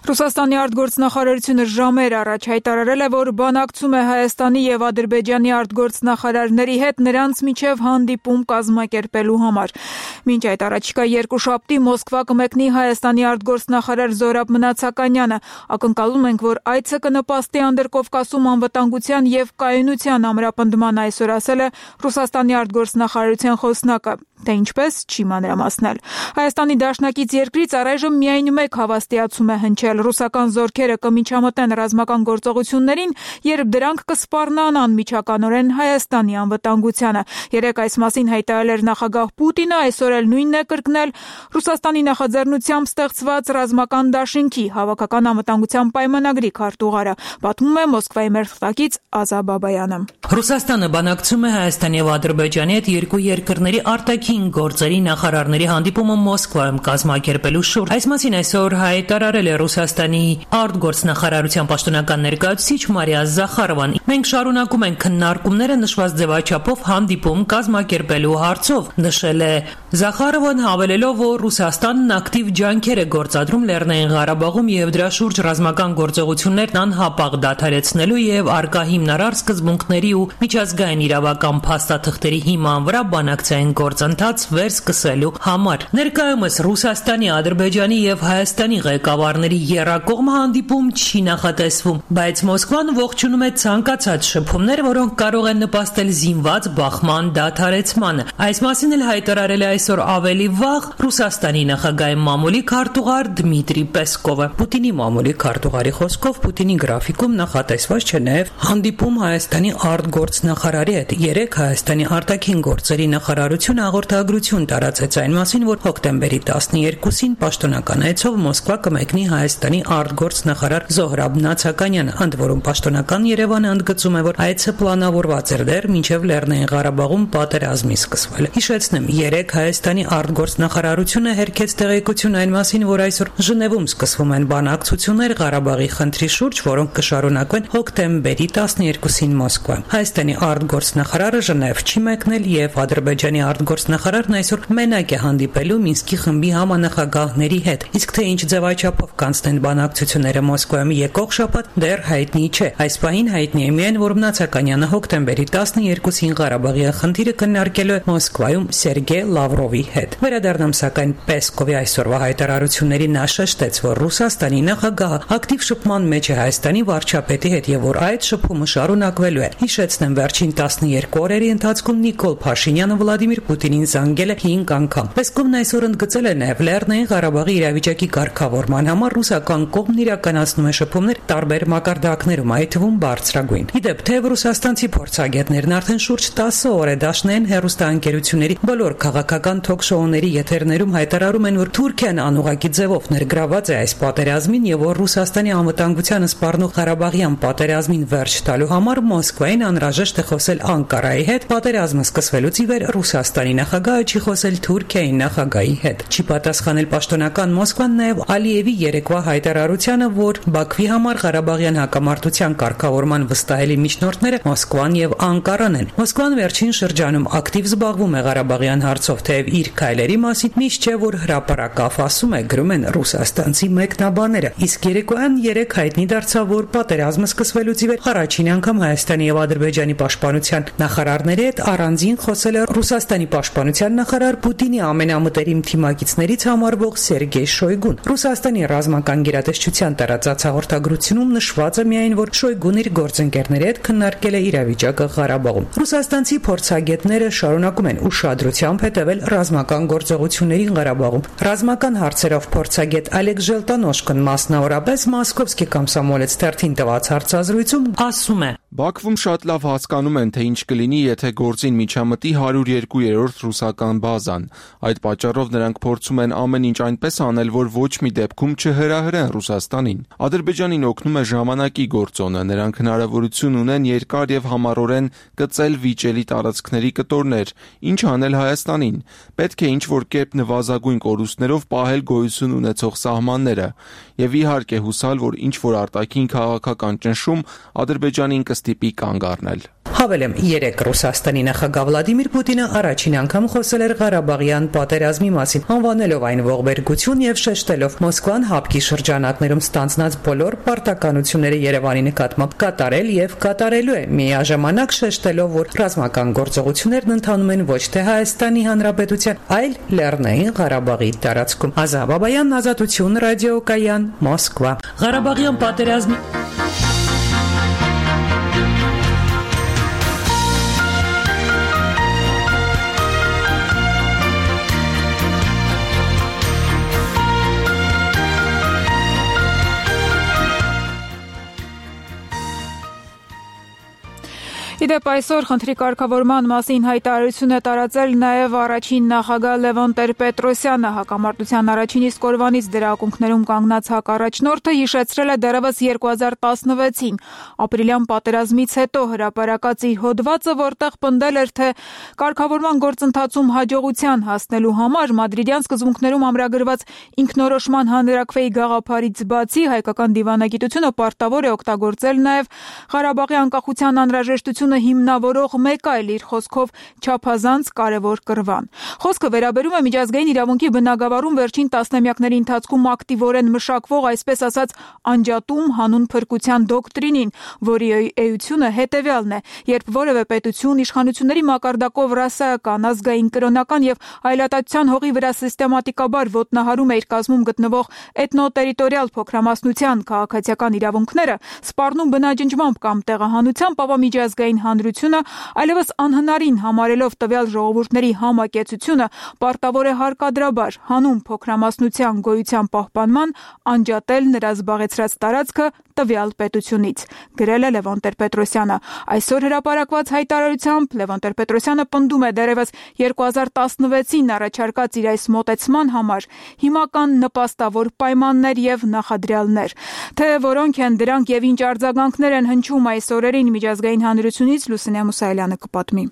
Ռուսաստանի արտգործնախարարությունը ժամեր առաջ հայտարարել է, որ բանակցում է Հայաստանի եւ Ադրբեջանի արտգործնախարարների հետ նրանց միջև հանդիպում կազմակերպելու համար։ Մինչ այդ առաջիկա երկուշաբթի Մոսկվա կմեկնի Հայաստանի արտգործնախարար Զորաբ Մնացականյանը։ Ակնկալում ենք, որ այցը կնպաստի Անդրկովկասում անվտանգության եւ կայունության ամրապնդման, այսօր ասել է Ռուսաստանի արտգործնախարարության խոսնակը։ թե ինչպես չի մանրամասնել։ Հայաստանի դաշնակից երկրից առայժմ միայն մեկ հավաստիացում է հնչել՝ ռուսական զորքերը կմիջամտեն ռազմական գործողություններին, երբ դրանք կսպառնան անմիջականորեն Հայաստանի անվտանգությանը։ Երեկ այս մասին հայտարարել էր նախագահ Պուտինը, այսօր էլ նույնն է կրկնել Ռուսաստանի նախաձեռնությամբ ստեղծված ռազմական դաշինքի հավաքական անվտանգության պայմանագրի քարտուղարը, պատմում է Մոսկվայի մեր թղթակից Ազա Բաբայանը։ Ռուսաստանը բանակցում է Հայաստանի եւ Ադրբեջանի հետ երկու երկրների արտաքին գործերի նախարարների հանդիպումը Մոսկվայում կազմակերպելու շուրջ։ Այս մասին այսօր հայտարարել է Ռուսաստանի արտգործնախարարության պաշտոնական ներկայացուցիչ Մարիա Զախարովան։ Մենք շարունակում ենք քննարկումները նշված ձևաչափով հանդիպում կազմակերպելու հարցով, նշել է Զախարովան, հավելելով, որ Ռուսաստանն ակտիվ ջանքեր է գործադրում Լեռնային Ղարաբաղում եւ դրա շուրջ ռազմական գործողություններն անհապաղ դադարեցնելու եւ արկա հիմնարար սկզբունքների ու միջազգային իրավական փաստաթղթերի հիման վրա բանակցային գործընթաց վերսկսելու համար։ Ներկայումս Ռուսաստանի, Ադրբեջանի եւ Հայաստանի ղեկավարների եռակողմ հանդիպում չի նախատեսվում, բայց Մոսկվան ողջունում է ցանկացած շփումներ, որոնք կարող են նպաստել զինված բախման դադարեցմանը։ Այս մասին էլ հայտարարել է այսօր ավելի վաղ Ռուսաստանի նախագահի մամուլի քարտուղար Դմիտրի Պեսկովը։ Պուտինի մամուլի քարտուղարի խոսքով Պուտինի գրաֆիկում նախատեսված չէ նաև հանդիպում Հայաստանի արտգործնախարարի հետ։ Երեկ Հայաստանի արտաքին գործերի նախարարությունը հաղորդագրություն տարածեց այն մասին, որ հոկտեմբերի տասներկուսին պաշտոնական այցով Մոսկվա կմեկնի Հայաստանի արտգործնախարար Զոհրաբ Նացականյանը, ընդ որում պաշտոնական Երևանը ընդգծում է, որ այցը պլանավորված էր դեռ մինչև Լեռնային Ղարաբաղում պատերազմի սկսվելը։ Հիշեցնեմ, երեկ Հայաստանի արտգործնախարարությունը հերքեց տեղեկություն այն մասին, որ այսօր Ժնևում սկսվում են բանակցություններ Ղարաբաղի խնդրի շուրջ, որոնք կշարունակվեն հոկտեմբերի տասներկուսին Մոսկվայում։ Հայաստանի արտգործնախարարը Ժնև չի մեկնել եւ Ադրբեջանի արտգործնախարարն այսօր մենակ է հանդիպելու Մինսկի խմբի համանախագահների հետ։ Իսկ թե ինչ ձևաչափով կանցնեն բանակցությունները Մոսկվայում եկող շաբաթ դեռ հայտնի չէ։ Այս պահին հայտնի է միայն, որ Նացականյանը հոկտեմբերի տասներկուսին Ղարաբաղի խնդիրը քննարկելու է Մոսկվայում Սերգեյ Լավրովի հետ։ Վերադառնամ սակայն Պեսկովի այսօրվա հայտարարությունների նա շեշտեց, որ Ռուսաստանի նախագահը ակտիվ շփման մեջ է Հայաստանի վարչապետի հետ եւ որ այդ շփումը շարունակվելու է։ Հիշեցնեմ, վերջին տասներկու օրերի ընթացքում Նիկոլ Փաշինյանը Վլադիմիր Պուտինին զանգել է հինգ անգամ։ Պեսկովն այսօր ընդգծել է նաեւ Լեռնային Ղարաբաղի իրավիճակի կարգավորման համար ռուսական կողմն իրականացնում է շփումներ տարբեր մակարդակներում, այդ թվում բարձրագույն։ Իդեպ, թեև ռուսաստանցի փորձագետներն արդեն շուրջ տասը օր է դաշնային հեռուստաընկերությունների բոլոր քաղաքական թոք-շոուների եթերներում հայտարարում են, որ Թուրքիան անուղակի ձևով ներգրաված է այս պատերազմին եւ որ Ռուսաստանի անվտանգությանը սպառնող Ղարաբաղյան պատերազմին վերջ տալու համար Մոսկվային անհրաժեշտ է խոսել Անկարայի հետ, պատերազմը սկսվելուց ի վեր Ռուսաստանի նախագահը չի խոսել Թուրքիայի նախագահի հետ։ Չի պատասխանել պաշտոնական Մոսկվան նաեւ Ալիևի երեկվա հայտարարությանը, որ Բաքվի համար Ղարաբաղյան հակամարտության կարգավորման վստահելի միջնորդները Մոսկվան եւ Անկարան են։ Մոսկվան վերջին շրջանում ակտիվ զբաղվում է Ղարաբաղյան հարցով, թեև իր քայլերի մասին միշտ չէ, որ հրապարակավ ասում է, գրում են ռուսաստանցի մեկնաբանները։ Իսկ երեկոյան երեք հայտնի դարձավ, որ պատերազմը սկսվելուց ի վեր առաջին անգամ Հայաստանի եւ Ադրբեջանի պաշտպանության նախարարների հետ առանձին խոսել է Ռուսաստանի պաշտպանության նախարար Պուտինի ամենամտերիմ թիմակիցներից համարվող Սերգեյ Շոյգուն։ Ռուսաստանի ռազմական գերատեսչության տարածած հաղորդագրությունում նշված է միայն, որ Շոյգուն իր գործընկերների հետ քննարկել է իրավիճակը Ղարաբաղում։ Ռուսաստանցի փորձագետները շարունակում են ուշադրությամբ հետևել ռազմական գործողություններին Ղարաբաղում։ Ռազմական հարցերով փորձագետ Ալեքս Ժելտանոշկն մասնավորապես Մոսկովսկի կոմսոմոլեց թերթին տված հարցազրույցում ասում է. Բաքվում շատ լավ հասկանում են, թե ինչ կլինի, եթե գործին միջամտի հարյուր երկու-րդ ռուսական բազան։ Այդ պատճառով նրանք փորձում են ամեն ինչ այնպես անել, որ ոչ մի դեպքում չհրահրեն Ռուսաստանին։ Ադրբեջանին օգնում է ժամանակի գործոնը, նրանք հնարավորություն ունեն երկար եւ համառորեն գծել վիճելի տարածքների կտորներ, ինչ անել Հայաստանին։ Պետք է ինչ-որ կերպ նվազագույն կորուստներով պահել գոյություն ունեցող սահմանները եւ իհարկե հուսալ, որ ինչ-որ արտաքին քաղաքական ճնշում Ադրբեջանին կստիպի կանգ առնել։ Հավելեմ, երեք Ռուսաստանի նախագահ Վլադիմիր Պուտինը առաջին անգամ խոսել էր Ղարաբաղյան պատերազմի մասին, անվանելով այն ողբերգություն եւ շեշտելով Մոսկվան հապկի շրջանակներում ստանձնած բոլոր պարտականությունները Երևանի նկատմամբ կատարել եւ կատարելու է, միաժամանակ շեշտելով, որ ռազմական գործողություններն ընթանում են ոչ թե Հայաստանի Հանրապետության, այլ Լեռնային Ղարաբաղի տարածքում։ Ազա Բաբայան, Ազատություն, ռադիոկայան, Մոսկվա։ Ղարաբաղյան պատերազմի Իդեպ այսօր խնդրի կարգավորման մասին հայտարարություն է տարածել նաև առաջին նախագահ Լևոն Տեր-Պետրոսյանը։ Հակամարտության առաջին իսկ օրվանից դրա ակունքներում կանգնած հակառաջնորդը հիշեցրել է դեռևս երկու հազար տասնվեցին ապրիլյան պատերազմից հետո հրապարակած իր հոդվածը, որտեղ պնդել էր, թե կարգավորման գործընթացում հաջողության հասնելու համար մադրիդյան սկզբունքներում ամրագրված ինքնորոշման հանրաքվեի գաղափարից բացի հայկական դիվանագիտությունը պարտավոր է օգտագործել նաև Ղարաբաղի անկախության անհրաժեշտությունը հիմնավորող մեկ այլ իր խոսքով չափազանց կարևոր կռվան։ Խոսքը վերաբերում է միջազգային իրավունքի բնագավառում վերջին տասնամյակների ընթացքում ակտիվորեն մշակվող, այսպես ասած, անջատում հանուն փրկության դոկտրինին, որի էությունը հետևյալն է. երբ որևէ պետություն իշխանությունների մակարդակով ռասայական, ազգային, կրոնական եւ այլատացության հողի վրա սիստեմատիկաբար ոտնահարում է իր կազմում գտնվող էթնոտերիտորիալ փոքրամասնության քաղաքացիական իրավունքները, սպառնում բնաջնջմամբ կամ տեղահանությամբ, ապա միջազգային հանրությունը այլևս անհնարին համարելով տվյալ ժողովուրդների համակեցությունը պարտավոր է հարկադրաբար հանուն փոքրամասնության գոյության պահպանման անջատել նրա զբաղեցրած տարածքը տվյալ պետությունից, գրել է Լևոն Տեր-Պետրոսյանը։ Այսօր հրապարակված հայտարարությամբ Լևոն Տեր-Պետրոսյանը պնդում է դեռևս երկու հազար տասնվեցին առաջարկած իր այս մոտեցման համար հիմական նպաստավոր պայմաններ եւ նախադրյալներ, թե որոնք են դրանք եւ ինչ արձագանքներ են հնչում այս օրերին միջազգային հանրությունից, Լուսինե Մուսայելյանը կպատմի։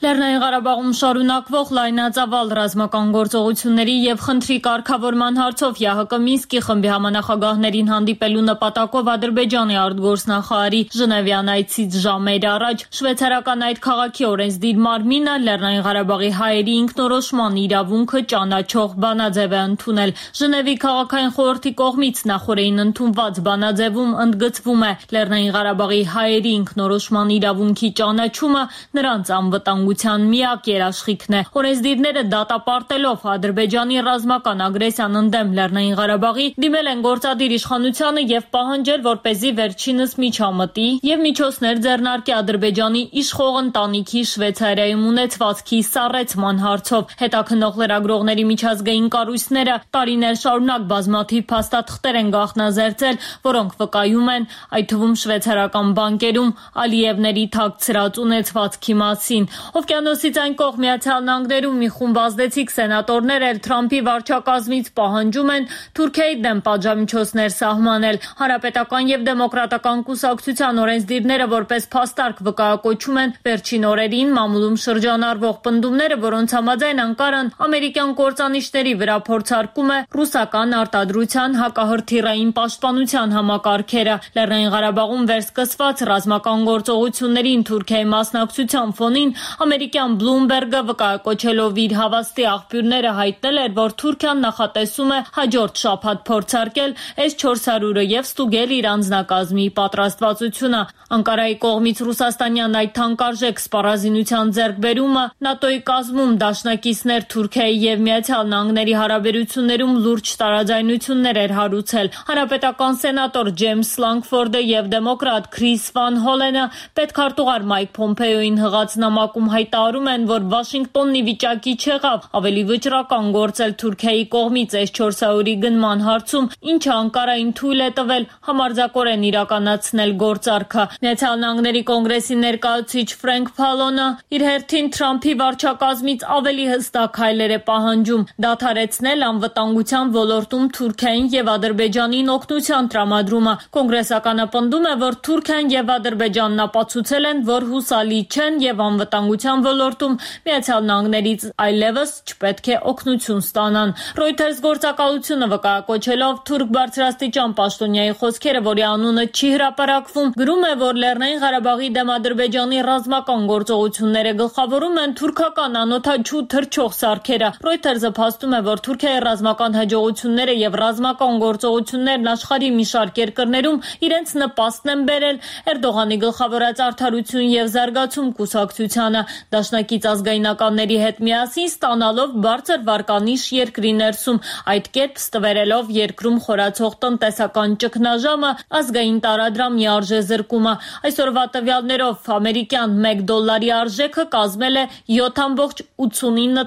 Լեռնային Ղարաբաղում շարունակվող լայնածավալ ռազմական գործողությունների եւ խնդրի կարգավորման հարցով ԵԱՀԿ Մինսկի խմբի համանախագահներին հանդիպելու նպատակով Ադրբեջանի արտգործնախարարի Ժնևյան այցից ժամեր առաջ շվեյցարական այդ քաղաքի օրենսդիր մարմինը Լեռնային Ղարաբաղի հայերի ինքնորոշման իրավունքը ճանաչող բանաձև է ընդունել։ Ժնևի քաղաքային խորհրդի կողմից նախորդին ընդունված բանաձևում ընդգծվում է Լեռնային Ղարաբաղի հայերի ինքնորոշման իրավունքի ճանաչումը նրանց անվտանգության միակ երաշխիքն է։ Օրենսդիրները դատապարտելով Ադրբեջանի ռազմական ագրեսիան ընդդեմ Լեռնային Ղարաբաղի դիմել են գործադիր իշխանությանը եւ պահանջել, որպեսզի վերջինս միջամտի եւ միջոցներ ձեռնարկի Ադրբեջանի իշխող ընտանիքի Շվեյցարիայում ունեցվածքի սառեցման հարցով։ Հետաքննող լրագրողների միջազգային կառույցները տարիներ շարունակ բազմաթիվ փաստաթղթեր են գաղտնազերծել, որոնք վկայում են, այդ թվում շվեյցարական բանկերում Ալիևների թաքցրած ունեցվածքի մասին։ Օվկիանոսից այն կողմ Միացյալ Նահանգներում մի խումբ ազդեցիկ սենատորներ էլ Թրամփի վարչակազմից պահանջում են Թուրքիայի դեմ պատժամիջոցներ սահմանել։ Հանրապետական եւ դեմոկրատական կուսակցության օրենսդիրները որպես փաստարկ վկայակոչում են վերջին օրերին մամուլում շրջանառվող պնդումները, որոնց համաձայն Անկարան ամերիկյան կործանիչների վրա փորձարկում է ռուսական արտադրության հակահրթիռային պաշտպանության համակարգերը։ Լեռնային Ղարաբաղում վերսկսված ռազմական գործողություններին Թուրքիայի մասնակցության ֆոնին ամերիկյան Bloomberg-ը վկայակոչելով իր հավաստի աղբյուրները հայտնել էր, որ Թուրքիան նախատեսում է հաջորդ շաբաթ փորձարկել էս չորս հարյուրը եւ ստուգել իր անձնակազմի պատրաստվածությունը։ Անկարայի կողմից ռուսաստանյան այդ թանկարժեք սպառազինության ձեռքբերումը ՆԱՏՕ-ի կազմում դաշնակիցներ Թուրքիայի եւ Միացյալ Նահանգների հարաբերություններում լուրջ տարաձայնություններ էր հարուցել։ Հանրապետական սենատոր Ջեյմս Լանգֆորդը եւ դեմոկրատ Քրիս Վան Հոլենը պետքարտուղար Մայք Փոմպեոյին հղած նամակում հայտարարում են, որ Վաշինգտոնն ի վիճակի չեղավ ավելի վճռական գործել Թուրքիայի կողմից էս չորս հարյուրի գնման հարցում, ինչը Անկարային թույլ է տվել համարձակորեն իրականացնել գործարքը։ Միացյալ Նահանգների կոնգրեսի ներկայացուցիչ Ֆրենկ Փալոնը իր հերթին Թրամփի վարչակազմից ավելի հստակ հայլեր է պահանջում դադարեցնել անվտանգության ոլորտում Թուրքիային եւ Ադրբեջանին օգնության տրամադրումը։ Կոնգրեսականը պնդում է, որ Թուրքիան եւ Ադրբեջանն ապացուցել են, որ հուսալի չեն եւ անվտանգության ոլորտում Միացյալ Նահանգներից այլևս չպետք է օգնություն ստանան։ Reuters գործակալությունը վկայակոչելով թուրք բարձրաստիճան պաշտոնյայի խոսքերը, որի անունը չի հրապարակվում, գրում է, որ Լեռնային Ղարաբաղի դեմ Ադրբեջանի ռազմական գործողությունները գլխավորում են թուրքական անօթաչու թռչող սարքերը։ Reuters-ը փաստում է, որ Թուրքիայի ռազմական հաջողությունները եւ ռազմական գործողություններն աշխարհի մի շարք երկրներում իրենց նպաստն են բերել Էրդողանի գլխավորած Արդարություն եւ զարգացում կուսակցությանը։ դաշնակից ազգայնականների հետ միասին ստանալով բարձր վարկանիշ երկրի ներսում, այդ կերպ ստվերելով երկրում խորացող տնտեսական ճգնաժամը, ազգային տարադրամի արժեզրկումը։ Այսօրվա տվյալներով ամերիկյան մեկ դոլարի արժեքը կազմել է յոթ կoma ութսունինը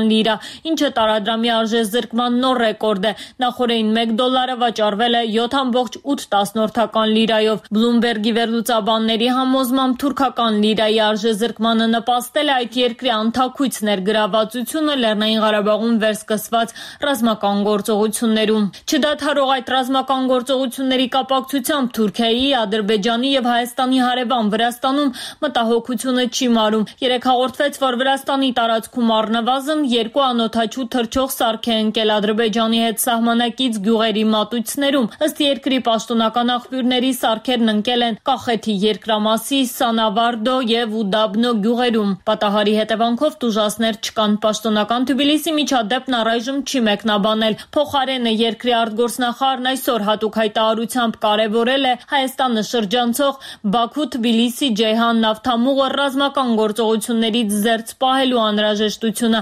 լիրա, ինչը տարադրամի արժեզրկման նոր ռեկորդ է։ Նախորդին մեկ դոլարը վաճառվել է յոթ կoma ութ լիրայով։ Բլումբերգի վերլուծաբանների համոզմամբ թուրքական լիրայի արժեզրկմանը նպաստել է այդ երկրի անթաքույց ներգրավվածությունը Լեռնային Ղարաբաղում վերսկսված ռազմական գործողություններում։ Չդադարող այդ ռազմական գործողությունների կապակցությամբ Թուրքիայի, Ադրբեջանի եւ Հայաստանի հարևան Վրաստանում մտահոգությունը չի մարում։ Երեք հաղորդվեց, որ Վրաստանի տարածքում առնվազն երկու անօդաչու թռչող սարք է ընկել Ադրբեջանի հետ սահմանակից գյուղերի մատույցներում։ Ըստ երկրի պաշտոնական աղբյուրների սարքերն ընկել են Կախեթի երկրամասի Սանավարդո եւ Ուդաբնո գյուղերում։ Պատահարի հետևանքով տուժածներ չկան։ Պաշտոնական Թբիլիսի միջադեպն առայժմ չի մեկնաբանել։ Փոխարենը երկրի արտգործնախարարն այսօր հատուկ հայտարարությամբ կարևորել է Հայաստանը շրջանցող Բաքու-Թբիլիսի Ջեյհան նավթամուղը ռազմական գործողություններից զերծ պահելու անհրաժեշտությունը։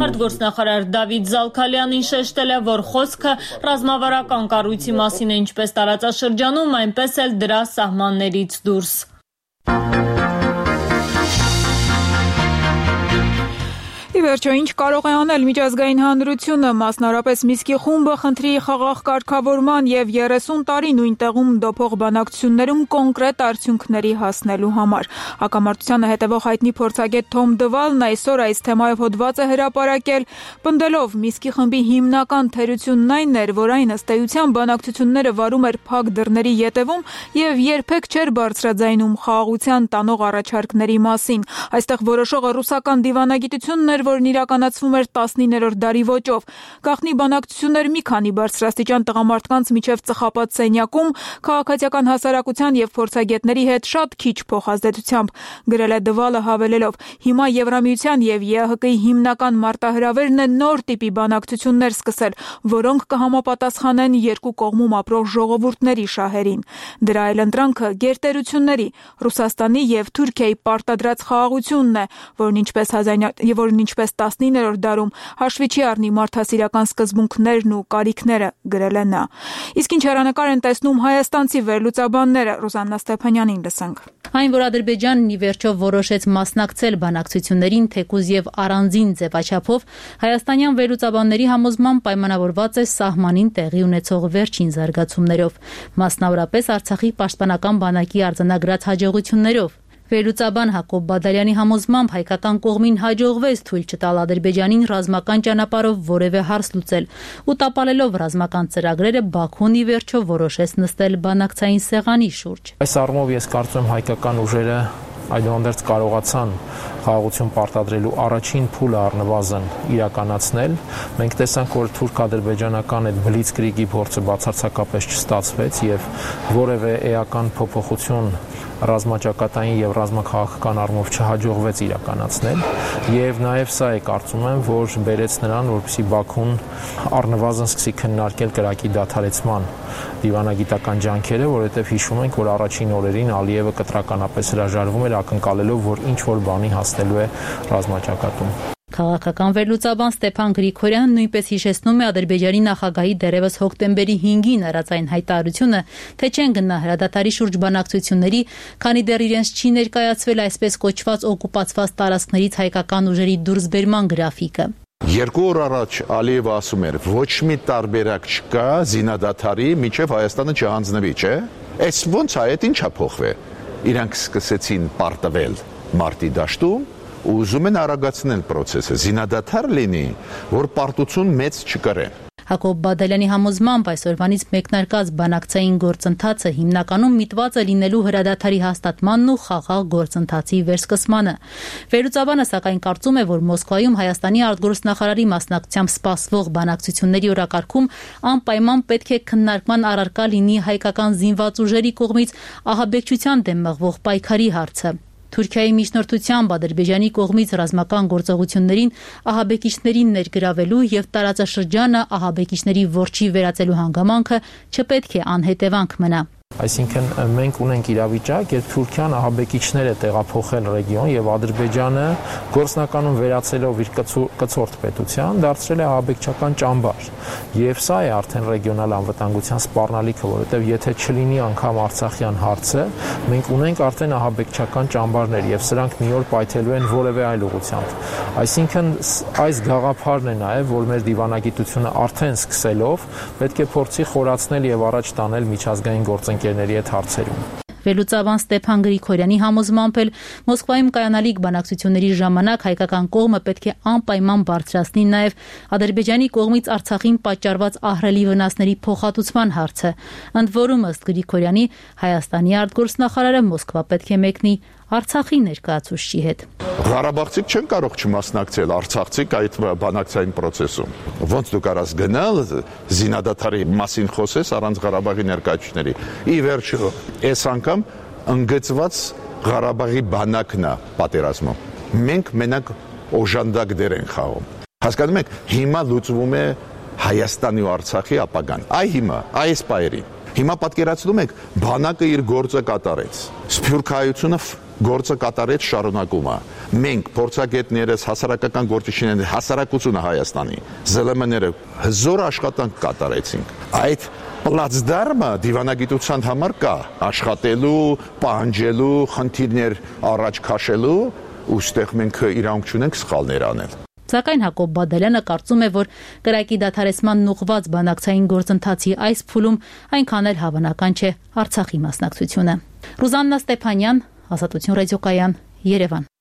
Արտգործնախարար Դավիթ Զալքալյանին շեշտել է, որ խոսքը ռազմավարական կառույցի մասին է ինչպես տարածաշրջանում, այնպես էլ դրա սահմաններից դուրս։ Ի վերջո, ինչ կարող է անել միջազգային հանրությունը, մասնավորապես Միսկի խումբը խնդրի խաղաղ կարգավորման եւ երեսուն տարի նույն տեղում դոփող բանակցություններում կոնկրետ արդյունքների հասնելու համար։ Հակամարտությանը հետևող հայտնի փորձագետ Թոմ Դվալն այսօր այս թեմայով հոդված է հրապարակել, պնդելով Միսկի խմբի հիմնական թերությունն այն էր, որ այն ըստ էության բանակցությունները վարում էր փակ դռների ետևում եւ երբեք չէր բարձրաձայնում խաղաղության տանող առաջարկների մասին։ Այստեղ որոշողը ռուսական դիվանագիտությունն էր, որն իրականացվում էր տասնիններորդ դարի ոճով։ Գաղտնի բանակցություններ մի քանի բարձրաստիճան տղամարդկանց միջև ծխապատ սենյակում, քաղաքացիական հասարակության եւ փորձագետների հետ շատ քիչ փոխազդեցությամբ, գրել է Դվալը հավելելով. հիմա Եվրամիության եւ ԵԱՀԿ-ի հիմնական մարտահրավերն է նոր տիպի բանակցություններ սկսել, որոնք կհամապատասխանեն երկու կողմում ապրող ժողովուրդների շահերին։ Դրա այլընտրանքը գերտերությունների, Ռուսաստանի եւ Թուրքիայի պարտադրած խաղաղությունն է, որն ինչպես որն ինչպես տասնիններորդ դարում հաշվի չի առնի մարդասիրական սկզբունքներն ու կարիքները, գրել է նա։ Իսկ ինչ հեռանկար են տեսնում հայաստանցի վերլուծաբանները, Ռուզաննա Ստեփանյանին լսենք։ Այն, որ Ադրբեջանն ի վերջո որոշեց մասնակցել բանակցություններին թեկուզ եւ առանձին ձևաչափով, հայաստանյան վերլուծաբանների համոզմամբ պայմանավորված է սահմանին տեղի ունեցող վերջին զարգացումներով, մասնավորապես Արցախի պաշտպանական բանակի արձանագրած հաջողություններով։ Վերլուծաբան Հակոբ Բադալյանի համոզմամբ հայկական կողմին հաջողվեց թույլ չտալ Ադրբեջանին ռազմական ճանապարհով որևէ հարց լուծել ու տապալելով ռազմական ծրագրերը Բաքուն ի վերջո որոշեց նստել բանակցային սեղանի շուրջ։ Այս առումով ես կարծում եմ հայկական ուժերը այդուհանդերձ կարողացան խաղաղություն պարտադրելու առաջին փուլը առնվազն իրականացնել։ Մենք տեսանք, որ թուրք-ադրբեջանական այդ բլիցկրիգի փորձը բացարձակապես չստացվեց եւ որևէ էական փոփոխություն ռազմաճակատային եւ ռազմաքաղաքական առումով չհաջողվեց իրականացնել եւ նաեւ սա է կարծում եմ, որ բերեց նրան, որպեսզի Բաքուն առնվազն սկսի քննարկել կրակի դադարեցման դիվանագիտական ջանքերը, որովհետեւ հիշում ենք, որ առաջին օրերին Ալիևը կտրականապես հրաժարվում էր ակնկալելով, որ ինչ որ բանի հասնելու է ռազմաճակատում։ Քաղաքական վերլուծաբան Ստեփան Գրիգորյանը նույնպես հիշեցնում է Ադրբեջանի նախագահի դերևս հոկտեմբերի հինգին արած այն հայտարարությունը, թե չեն գնա հրադադարի շուրջ բանակցությունների, քանի դեռ իրենց չի ներկայացվել այսպես կոչված օկուպացված տարածքներից հայկական ուժերի դուրսբերման գրաֆիկը։ Երկու օր առաջ Ալիևը ասում էր, ոչ մի տարբերակ չկա զինադադարի, մինչև Հայաստանը չհանձնվի, չէ՞։ Այս ոնց է, այդ ինչա փոխվել։ Իրանք սկսեցին պարտվել մարտի դաշտում ու ուզում են արագացնել process-ը, զինադադար լինի, որ պարտություն մեծ չկրեն։ Հակոբ Բադալյանի համոզմամբ այսօրվանից մեկնարկած բանակցային գործընթացը հիմնականում միտված է լինելու հրադադարի հաստատմանն ու խաղաղ գործընթացի վերսկսմանը։ Վերլուծաբանը սակայն կարծում է, որ Մոսկվայում Հայաստանի արտգործնախարարի մասնակցությամբ սպասվող բանակցությունների օրակարգում անպայման պետք է քննարկման առարկա լինի հայկական զինված ուժերի կողմից ահաբեկչության դեմ մղվող պայքարի հարցը։ Թուրքիայի միջնորդությամբ Ադրբեջանի կողմից ռազմական գործողություններին ահաբեկիչներին ներգրավելու եւ տարածաշրջանը ահաբեկիչների որջի վերածելու հանգամանքը չպետք է անհետևանք մնա։ Այսինքն մենք ունենք իրավիճակ, երբ Թուրքիան ահաբեկիչներ է տեղափոխել ռեգիոն եւ Ադրբեջանը գործնականում վերացելով իր կցորդ պետության դարձրել է ահաբեկչական ճամբար։ Եվ սա է արդեն ռեգիոնալ անվտանգության սպառնալիքը, որովհետեւ եթե չլինի անգամ Արցախյան հարցը, մենք ունենք արդեն ահաբեկչական ճամբարներ եւ սրանք մի օր պայթելու են որևէ այլ ուղղությամբ։ Այսինքն այս գաղափարն է նաեւ, որ մեր դիվանագիտությունը արդեն սկսելով պետք է փորձի խորացնել եւ առաջ տանել միջազգային գործընկերների հետ հարցերում։ Վերլուծաբան Ստեփան Գրիգորյանի համոզմամբ էլ Մոսկվայում կայանալիք բանակցությունների ժամանակ հայկական կողմը պետք է անպայման բարձրացնի նաև Ադրբեջանի կողմից Արցախին պատճառված ահռելի վնասների փոխհատուցման հարցը։ Ընդ որում, ըստ Գրիգորյանի, Հայաստանի արտգործնախարարը Մոսկվա պետք է մեկնի Արցախի ներկայացուցչի հետ։ Ղարաբաղցիք չեն կարող չմասնակցել արցախցիք այդ բանակցային process-ում։ Ոնց դու կարաս գնալ զինադադարի մասին խոսես առանց Ղարաբաղի ներկայացուցիչների։ Ի վերջո, այս անգամ ընդգծված Ղարաբաղի բանակն է պատերազմում։ Մենք մենակ օժանդակ դեր ենք խաղում։ Հասկանում եք, հիմա լուծվում է Հայաստանի ու Արցախի ապագան։ Այ հիմա, այս պայերին։ Հիմա պատկերացնում եք, բանակը իր գործը կատարեց։ Սփյուռքայությունը գործը կատարեց, շարունակում է։ Մենք փորձագետներս, հասարակական գործիչներն, հասարակությունը Հայաստանի, զել եմ էները հզոր աշխատանք կատարեցինք։ Այդ պլացդարմը դիվանագիտության համար կա, աշխատելու, պահանջելու, խնդիրներ առաջ քաշելու, ուստեղ մենք իրավունք չունենք սխալներ անել։ Սակայն Հակոբ Բադալյանը կարծում է, որ կրակի դադարեցման ուղղված բանակցային գործընթացի այս փուլում այնքան էլ հավանական չէ Արցախի մասնակցությունը։ Ռուզաննա Ստեփանյան, Ազատություն ռադիոկայան, Երևան։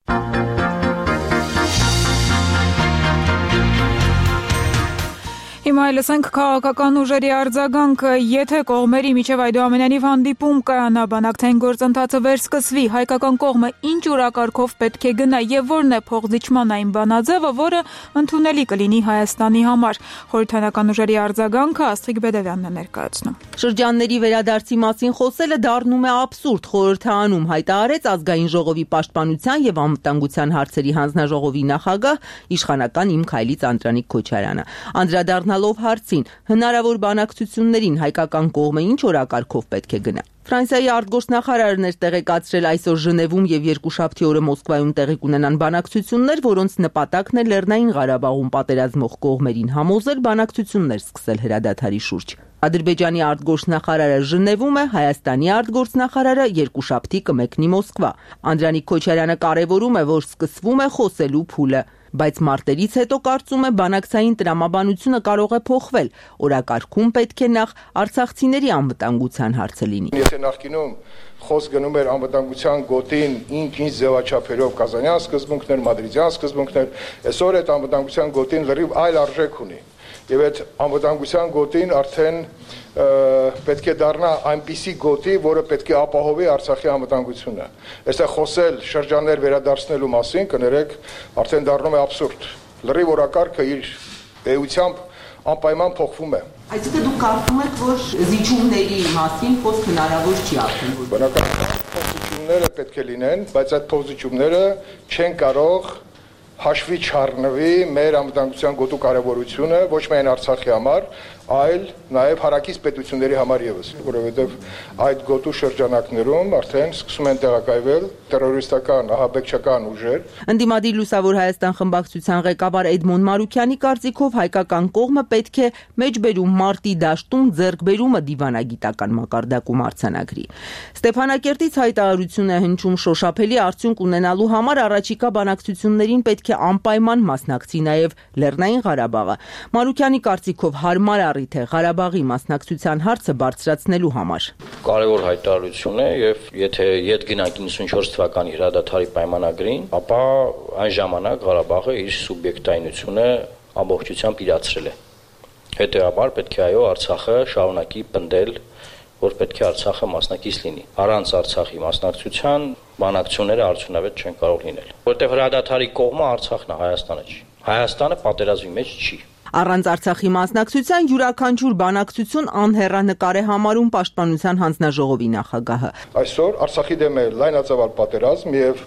Հիմա լսենք քաղաքական ուժերի արձագանքը, եթե կողմերի միջև այդուամենայնիվ հանդիպում կայանա բանակցային գործընթացը վերսկսվի, հայկական կողմը ինչ օրակարգով պետք է գնա եւ որն է փոխզիջման այն բանաձևը, որը ընդունելի կլինի Հայաստանի համար։ Խորհրդանական ուժերի արձագանքը Աստղիկ Բեդևյանն է ներկայացնում։ Շրջանների վերադարձի մասին խոսելը դառնում է աբսուրդ, խորհրդանում հայտարարեց Ազգային ժողովի պաշտպանության եւ անվտանգության հարցերի հանձնաժողովի նախագահ իշխանական Իմ Քայլից Անդրանիկ Քոչարյանը։ Անդրադառնալով հարցին, հնարավոր բանակցություններին հայկական կողմը ինչ օրակարգով պետք է գնա։ Ֆրանսիայի արտգործնախարարն էր տեղեկացրել այսօր Ժնևում եւ երկուշաբթի օրը Մոսկվայում տեղի կունենան բանակցություններ, որոնց նպատակն է Լեռնային Ղարաբաղում պատերազմող կողմերին համոզել բանակցություններ սկսել հրադադարի շուրջ։ Ադրբեջանի արտգործնախարարը Ժնևում է, Հայաստանի արտգործնախարարը երկուշաբթի կմեկնի Մոսկվա։ Անդրանիկ Քոչարյանը կարևորում է, որ սկսվում է խոսելու փուլը, բայց մարտերից հետո կարծում է բանակցային տրամաբանությունը կարող է փոխվել։ Օրակարգում պետք է նախ արցախցիների անվտանգության հարցը լինի։ Եթե նախկինում խոսք գնում էր անվտանգության գոտին ինչ-ինչ ձևաչափերով Կազանյան սկզբունքներ, Մադրիդյան սկզբունքներ, այսօր այդ անվտանգության գոտին լրիվ այլ արժեք ունի։ Եվ այդ անվտանգության գոտին արդեն պետք է դառնա այնպիսի գոտի, որը պետք է ապահովի Արցախի անվտանգությունը։ Այստեղ խոսել շրջաններ վերադարձնելու մասին, կներեք, արդեն դառնում է աբսուրդ։ Լրիվ օրակարգը իր էությամբ անպայման փոխվում է։ Այսինքն դուք կարծում եք, որ զիջումների մասին խոսք հնարավոր չի արդեն։ Բնականաբար փոխզիջումները պետք է լինեն, բայց այդ փոխզիջումները չեն կարող հաշվի չառնվի մեր անվտանգության գոտու կարևորությունը ոչ միայն Արցախի համար, այլ նաև հարակից պետությունների համար եւս, որովհետեւ այդ գոտու շրջանակներում արդեն սկսում են տեղակայվել տերորիստական, ահաբեկչական ուժեր։ Ընդդիմադիր Լուսավոր Հայաստան խմբակցության ղեկավար Էդմոն Մարուկյանի կարծիքով հայկական կողմը պետք է մեջբերում մարտի դաշտում ձեռքբերումը դիվանագիտական մակարդակում արձանագրի։ Ստեփանակերտից հայտարարություն է հնչում շոշափելի արդյունք ունենալու համար առաջիկա բանակցություններին պետք է անպայման մասնակցի նաև Լեռնային Ղարաբաղը։ Մարուկյանի կարծիքով հարմար առիթ է Ղարաբաղի մասնակցության հարցը բարձրացնելու համար։ Կարևոր հայտարարություն է եւ եթե ետ գնանք իննսունչորս թվականի հրադադարի պայմանագրին, ապա այն ժամանակ Ղարաբաղը իր սուբյեկտայնությունը ամբողջությամբ իրացրել է։ Հետևաբար պետք է այո Արցախը շարունակի պնդել, որ պետք է Արցախը մասնակից լինի։ Առանց Արցախի մասնակցության բանակցությունները արդյունավետ չեն կարող լինել, որտեղ հրադադարի կողմը Արցախն է, Հայաստանը չի։ Հայաստանը պատերազմի մեջ չի։ Առանց Արցախի մասնակցության յուրաքանչյուր բանակցություն անհեռանկար է համարում Պաշտպանության հանձնաժողովի նախագահը։ Այսօր Արցախի դեմ է լայնածավալ պատերազմ եւ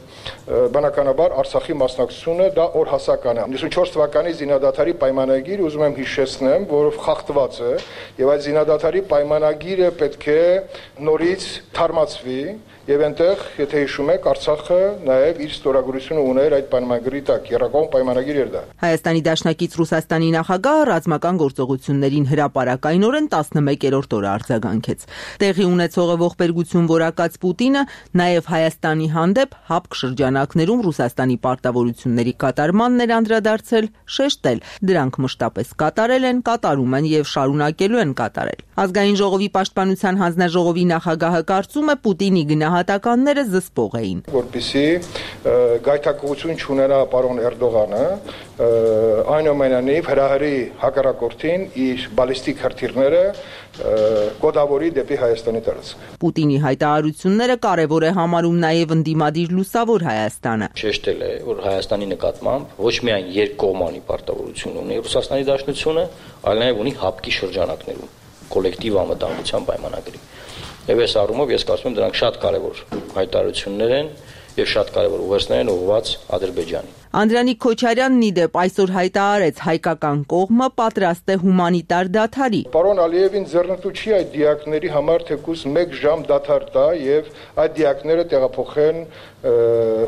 բնականաբար Արցախի մասնակցությունը դա օրհասական է։ նոյնսունչորս թվականի զինադադարի պայմանագիր ուզում եմ հիշեցնեմ, որով խախտված է եւ այդ զինադադարի պայմանագիրը պետք է նորից թարմացվի եւ այնտեղ, եթե հիշում եք, Արցախը նաեւ իր ստորագրությունը ուներ այդ պայմանագրի տակ, երակողմ պայմանագիր էր դա։ Հայաստանի Դաշնակից Ռուսաստանի նախագահը ռազմական գործողություններին հրապարակայնորեն տասնմեկերորդ օրը արձագանքեց։ Տեղի ունեցողը ողբերգություն որակած Պուտինը նաեւ Հայաստանի հանդեպ հապկ շրջանակներում Ռուսաստանի պարտավորությունների կատարմանն էր անդրադարձել, շեշտել, դրանք մշտապես կատարել են, կատարում են եւ շարունակելու են կատարել։ Ազգային ժողովի պաշտպանության հանձնաժողովի նախագահը կարծում է Պուտինի գնահատականները զսպող էին։ Որպեսզի գայթակղություն չունենա պարոն Էրդողանը, այնուամենայնիվ հրահրի հակառակորդին իր բալիստիկ հրթիռները կոդավորի դեպի Հայաստանի տարածք։ Պուտինի հայտարարությունները կարևոր է համարում նաև ընդդիմադիր լուսավոր Հայաստանը։ Շեշտել է, որ Հայաստանի նկատմամբ ոչ միայն երկկողմանի պարտավորություն ունի Ռուսաստանի Դաշնությունը, այլ նաև ունի հապկի շրջանակներում կոլեկտիվ անվտանգության պայմանագրի։ Եվ այս առումով ես կարծում եմ դրանք շատ կարևոր հայտարարություններ են եւ շատ կարևոր ուղերձներ են ուղղված Ադրբեջանին։ Անդրանիկ Քոչարյանն ի դեպ այսօր հայտարարեց հայկական կողմը պատրաստ է հումանիտար դադարի։ Պարոն Ալիևին ձեռնտու չի այդ դիակների համար թեկուզ մեկ ժամ դադար տա եւ այդ դիակները տեղափոխեն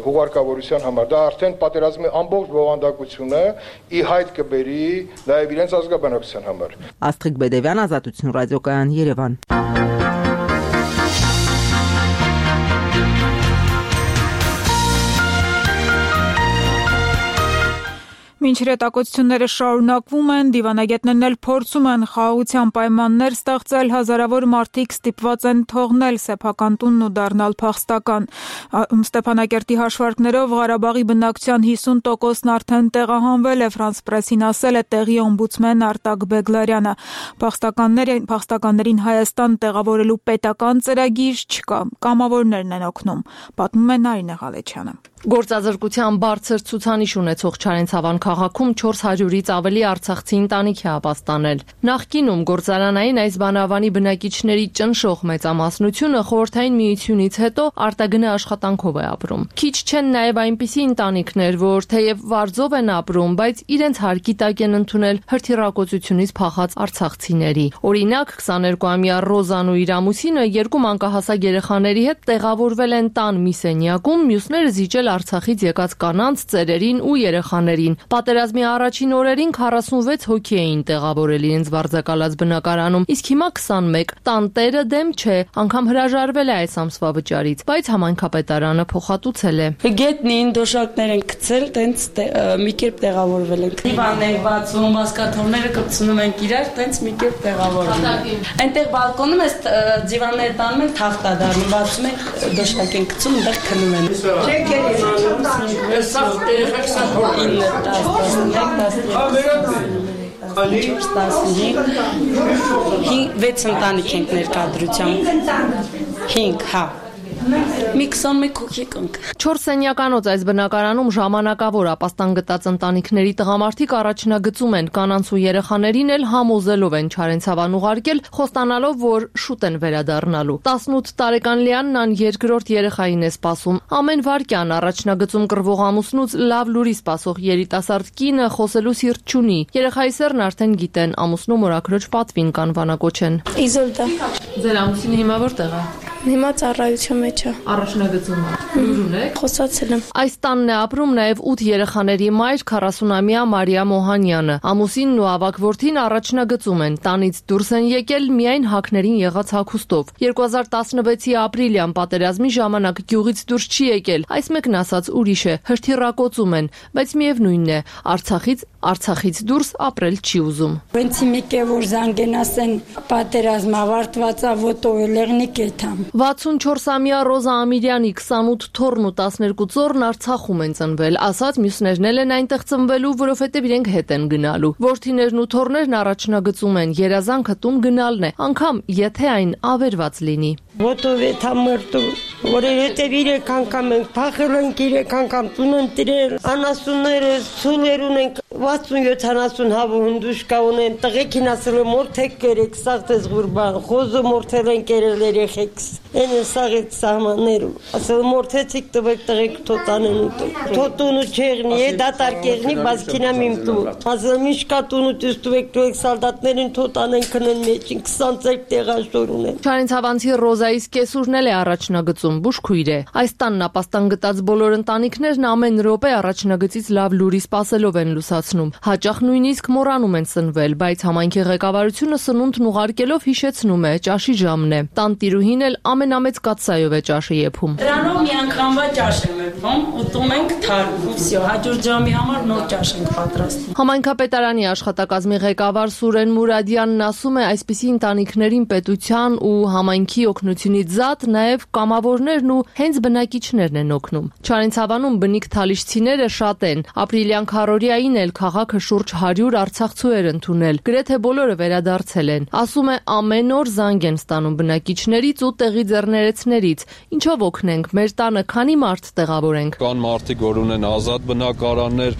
հուղարկավորության համար։ Դա արդեն պատերազմի ամբողջ բովանդակությունը ի հայտ կբերի նաեւ իրենց ազգաբնակության համար։ Աստղիկ Բեդևյան, Ազատություն ռադիոկայան, Երևան։ Մինչ հրետակոծությունները շարունակվում են, դիվանագետներն էլ փորձում են խաղաղության պայմաններ ստեղծել, հազարավոր մարդիկ ստիպված են թողնել սեփական տունն ու դառնալ փախստական։ Ստեփանակերտի հաշվարկներով Ղարաբաղի բնակչության հիսուն տոկոսն արդեն տեղահանվել է, Ֆրանս Պրեսին ասել է տեղի օմբուդսմեն Արտակ Բեգլարյանը։ Փախստականներին, փախստականներին Հայաստան տեղավորելու պետական ծրագիր չկա, կամավորներն են օգնում, պատմում է Նարինե Ղալեչյանը։ Գործազրկության բարձր ցուցանիշ ունեցող Չարենցավան քաղաքում չորս հարյուրից ավելի արցախցի ընտանիք է ապաստանել։ Նախկինում գործարանային այս բանավանի բնակիչների ճնշող մեծամասնությունը խորհրդային միությունից հետո արտագնե աշխատանքով է ապրում։ Քիչ չեն նաև այնպիսի ընտանիքներ, որ թեև վարձով են ապրում, բայց իրենց հարկի տակ են ընդունել հրթիռակոծությունից փախած արցախցիների։ Օրինակ, քսաներկուամյա Ռոզան ու իր ամուսինը երկու մանկահասակ երեխաների հետ տեղավորվել են տան մի սենյակում, մյուսները զիջել Արցախից եկած կանանց, ծերերին ու երեխաներին։ Պատերազմի առաջին օրերին քառասունվեց հոգի էին տեղավորել իրենց վարձակալած բնակարանում, իսկ հիմա քսանմեկ։ Տանտերը դեմ չէ, անգամ հրաժարվել է այս ամսվա վճարից, բայց համայնքապետարանը փոխհատուցել է։ Գետնին դոշակներ են գցել, տենց մի կերպ տեղավորվել են։ Դիվաններ բացում, բասկաթոռները կպցնում են իրար, տենց մի կերպ տեղավորվում են։ Այնտեղ բալկոնում էս դիվանները տանում են թախտա դառնում, բացում են դոշակ են գցում, այնտեղ քնում են։ Չեք վեց ընտանիք ենք ներկայացրությամբ հինգ հա մի քսանմեկ հոգի կնք։ Չորս սենյականոց այս բնակարանում ժամանակավոր ապաստան գտած ընտանիքների տղամարդիկ առաջնագծում են, կանանց ու երեխաներին էլ համոզելով են Չարենցավան ուղարկել, խոստանալով, որ շուտ են վերադառնալու։ տասնութ տարեկան Լիանն ան երկրորդ երեխային է սպասում։ Ամեն վայրկյան առաջնագծում կռվող ամուսնուց լավ լուրի սպասող երիտասարդ կինը խոսելու սիրտ չունի։ Երեխայի սերն արդեն գիտեն, ամուսնու մորաքրոջ պատվին կանվանակոչեն։ Իզոլդա։ Ձեր ամուսինը հիմա որտեղ է։ Հիմա ծառայության մեջ է։ Առաջնագծում է։ Ուրուն է։ Խոսացել եմ։ Այս տանն է ապրում նաև ութ երեխաների մայր քառասունամյա Մարիա Մոհանյանը։ Ամուսինն ու ավագ որդին առաջնագծում են։ Տանից դուրս են եկել միայն հակներին եղած հագուստով։ երկու հազար տասնվեցի ապրիլյան պատերազմի ժամանակ գյուղից դուրս չի եկել։ Այս մեկն ասած ուրիշ է, հրթիռակոծում են, բայց միևնույնն է, Արցախից Արցախից դուրս ապրել չի ուզում։ Վենցի մեկը որ զանգեն ասեն պատերազմ ավարտված է ոտոյելեղնի կետամ։ վաթսունչորսամյա Ռոզա Ամիրյանի քսանութ թոռն ու տասներկու ծոռն Արցախում են ծնվել, ասած մյուսներն էլ են այնտեղ ծնվելու, որովհետև իրենք հետ են գնալու։ Որդիներն ու թոռներն առաջնագծում են, երազանքը տուն գնալն է, անգամ եթե այն ավերված լինի։ Ոտովեթ ամրտու որովհետև իրեք անգամ ենք փախել ենք, իրեք անգամ տուն ընտրել, անասունները ցուլեր ունենք, վաթսունյոթ անասուն հավը հնդուշ կա ունեն, տղեկին ասել եմ մորթեք կերեք, սաղտես գուրբան, խոզը մորթել են կերել երեխեքս, են են սաղեց սահմաններում, ասել մորթեցիք տվեք տղեք թոտան են ուտում, թոտունու չեղնի, է դատար կեղնի, բասկինամ իմ տու, ասել միշկա տունու տուս տվեք տվեք սալդատներին թոտան են կնեն մեջին, քսան ծեք տեղաշոր ունեն։ Չարենցավանցի Ռոզայիս կեսուրն էլ է առաջնագծում, բուժքույր է։ Այս տանն ապաստան գտած բոլոր ընտանիքներն ամեն րոպե առաջնագծից լավ լուրի սպասելով են լուսացնում։ Հաճախ նույնիսկ մոռանում են սնվել, բայց համայնքի ղեկավարությունը սնունդն ուղարկելով հիշեցնում է ճաշի ժամն է։ Տանտիրուհին էլ ամենամեծ կաթսայով է ճաշը եփում։ Դրանով մի անգամվա ճաշ եմ եփում, ուտում ենք թարմ, ու վсё, հաջորդ ժամի համար նոր ճաշ ենք պատրաստում։ Համայնքապետարանի աշխատակազմի ղեկավար Սուրեն Մուրադյանն ասում է, այսպիսի ընտանիքներին պետության ու համայնքի օգնությունից զատ նաև կամավորներն ու հենց բնակիչներն են օգնում։ Չարենցավանում բնիկ թալիշցիները շատ են։ Ապրիլյան քարորիային էլ քաղաքը շուրջ հարյուր արցախցու էր ընդունել։ Գրեթե բոլորը վերադարձել են։ Ասում է, ամեն օր զանգ են ստանում բնակիչներից ու տեղի ձեռներեցներից։ Ինչով օգնենք, մեր տանը քանի մարդ տեղավորենք։ Կան մարդիկ, որ ունեն ազատ բնակարաններ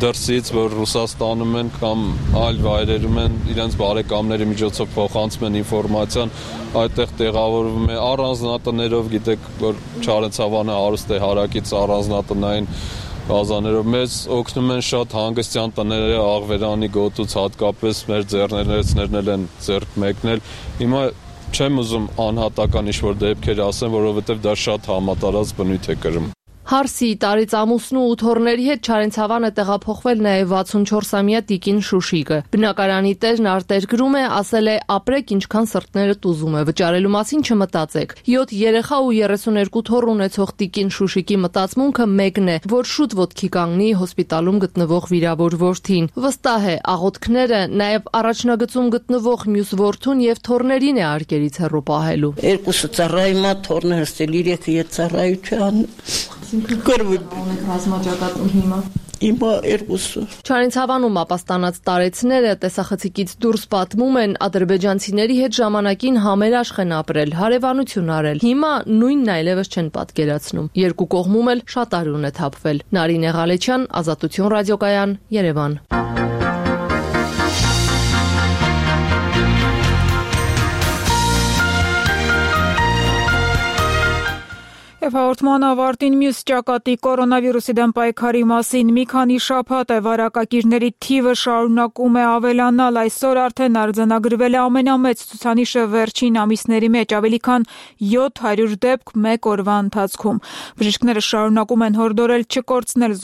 դրսից, որ Ռուսաստանում են կամ այլ վայրերում են, իրենց բարեկամների միջոցով փոխանցում են ինֆորմացիան, այդտեղ տեղավորվում է առանձնատներով, գիտեք, որ Չարենցավանը հարուստ է հարակից առանձնատնային բազաներով, մեզ օգնում են շատ հանգստյան տները, Աղվերանի գոտուց հատկապես մեր ձեռներեցներն էլ են ձեռք մեկնել։ Հիմա չեմ ուզում անհատական ինչ-որ դեպքեր ասեմ, որովհետև դա շատ համատարած բնույթ է կրում։ Հարսի, տարից ամուսնու ու թոռների հետ Չարենցավանը տեղափոխվել նաև վաթսունչորսամյա տիկին Շուշիկը։ Բնակարանի տերն արտերկրում է, ասել է, ապրեք ինչքան սրտներդ ուզում է, վճարելու մասին չմտածեք։ յոթ երեխա ու երեսուներկու թոռ ունեցող տիկին Շուշիկի մտածմունքը մեկն է, որ շուտ ոտքի կանգնի հոսպիտալում գտնվող վիրավոր որդին։ Վստահ է, աղոթքները նաև առաջնագծում գտնվող մյուս որդուն եւ թոռներին է արկերից հեռու պահելու։ Երկուսը ծառայումա թոռներս էլ իրեքը ետ ծառայության Ունեք ռազմաճակատում հիմա։ Հիմա երկուսը։ Չարենցավանում ապաստանած տարեցները տեսախցիկից դուրս պատմում են, ադրբեջանցիների հետ ժամանակին համերաշխ են ապրել, հարևանություն արել։ Հիմա նույնն այլևս չեն պատկերացնում։ Երկու կողմում էլ շատ արյուն է թափվել։ Նարինե Ղալեչյան, Ազատություն ռադիոկայան, Երևան։ Եվ հաղորդման ավարտին մյուս ճակատի կորոնավիրուսի դեմ պայքարի մասին մի քանի շաբաթ է վարակակիրների թիվը շարունակում է ավելանալ, այսօր արդեն արձանագրվել է ամենամեծ ցուցանիշը վերջին ամիսների մեջ, ավելի քան յոթ հարյուր դեպք մեկ օրվա ընթացքում։ Բժիշկները շարունակում են հորդորել չկորցնել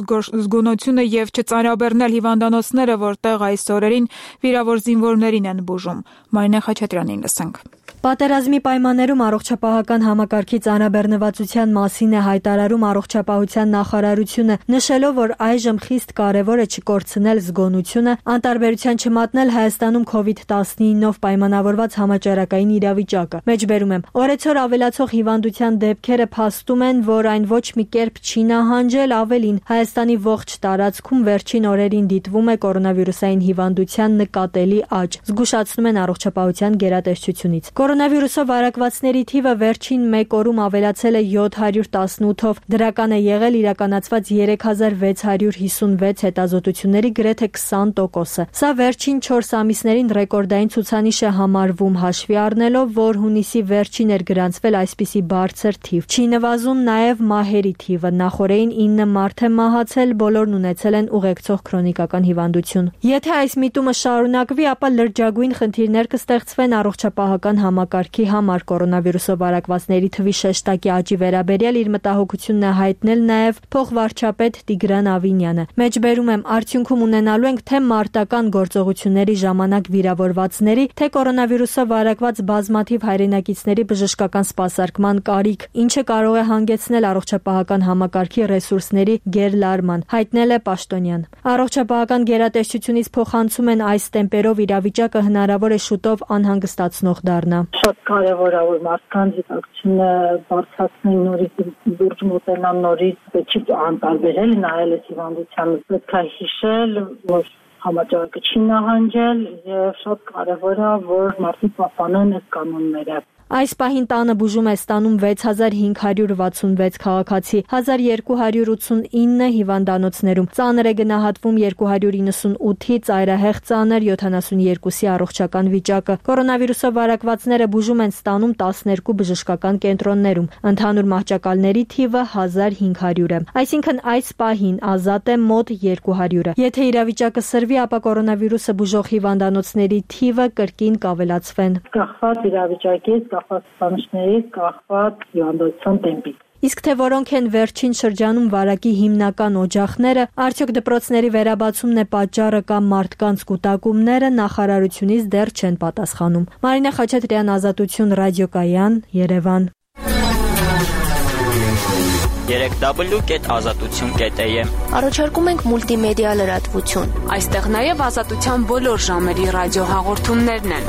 զգոնությունը եւ չծանրաբեռնել հիվանդանոցները, որտեղ այս օրերին վիրավոր զինվորներին են բուժում։ Մարինե Խաչատրյանին լսենք։ Պատերազմի պայմաններում առողջապահական համակարգի ծանրաբեռնվածության մասին է հայտարարում առողջապահության նախարարությունը, նշելով, որ այժմ խիստ կարևոր է չկորցնել զգոնությունը, անտարբերության չմատնել Հայաստանում քովիդ տասնինով պայմանավորված համաճարակային իրավիճակը։ Մեջբերում եմ, օրեցօր ավելացող հիվանդության դեպքերը փաստում են, որ այն ոչ մի կերպ չի նահանջել, ավելին Հայաստանի ողջ տարածքում վերջին օրերին դիտվում է կորոնավիրուսային հիվանդության նկատելի աճ, զգուշացնում են առողջապահության գերատեսչությունից։ Կորոնավիրուսով վարակվածների թիվը վերջին մեկ օրում ավելացել է յոթ հարյուր տասնութով, դրական է եղել իրականացված երեք հազար վեց հարյուր հիսունվեց հետազոտությունների գրեթե քսան տոկոսը։ Սա վերջին չորս ամիսներին ռեկորդային ցուցանիշ է համարվում, հաշվի առնելով, որ հունիսի վերջին էր գրանցվել այսպիսի բարձր թիվ։ Չի նվազում նաև մահերի թիվը, նախորդին ինը մարդ է մահացել, բոլորն ունեցել են ուղեկցող քրոնիկական հիվանդություն։ Եթե այս միտումը շարունակվի, ապա լրջագույն խնդիրներ կստեղծվեն առողջապահական համակարգի համար կորոնավիրուսով վարակվածների թվի շեշտակի աճի վերաբերյալ իր մտահոգությունն է հայտնել նաև փոխվարչապետ Տիգրան Ավինյանը։ Մեջբերում եմ, արդյունքում ունենալու ենք թե մարտական գործողությունների ժամանակ վիրավորվածների, թե կորոնավիրուսով վարակված բազմաթիվ հայրենակիցների բժշկական սպասարկման կարիք, ինչը կարող է հանգեցնել առողջապահական համակարգի ռեսուրսների գերլարման, հայտնել է Պաշտոնյան։ Առողջապահական գերատեսչությունից փոխանցում են այս տեմպերով իրավիճակը հնարավոր է շուտով անհանգստացնող դառնա։ Շատ կարևոր է, որ մարդկանց գիտակցությունը բարձրացնեն, նորից դուրս մոտենան, նորից չի անտարբերել, նայել այս հիվանդությանը, պետք է հիշել, որ համաճարակը չի նահանջել եւ շատ կարևոր է, որ մարդիկ պահպանեն այս կանոնները։ Այս պահին տանը բուժում է ստանում վեց հազար հինգ հարյուր վաթսունվեց քաղաքացի, հազար երկու հարյուր ութսունինը հիվանդանոցներում, ծանր է գնահատվում երկու հարյուր իննսունութի, ծայրահեղ ծանր յոթանասունյոթի առողջական վիճակը։ Կորոնավիրուսով վարակվածները բուժում են ստանում տասներկու բժշկական կենտրոններում, ընդհանուր մահճակալների թիվը հազար հինգ հարյուր է, այսինքն այս պահին ազատ է մոտ երկու հարյուրը։ Եթե իրավիճակը սրվի, ապա կորոնավիրուսը բուժող հիվանդանոցների թիվը կրկին կավելացվեն։ Կախված իրավիճակից, կախված ցուցանիշներից, կախված հիվանդության տեմպից։ Իսկ թե որոնք են վերջին շրջանում վարակի հիմնական օջախները, արդյոք դպրոցների վերաբացումն է պատճառը կամ մարդկանց կուտակումները, նախարարությունից դեռ չեն պատասխանում։ Մարինե Խաչատրյան, Ազատություն, Ռադիոկայան, Երևան։ երեք դաբլյու կետ ազատություն կետ է եմ Առաջարկում ենք մուլտիմեդիա լրատվություն։ Այստեղ նաև ազատության բոլոր ժամերի ռադիոհաղորդումներն են։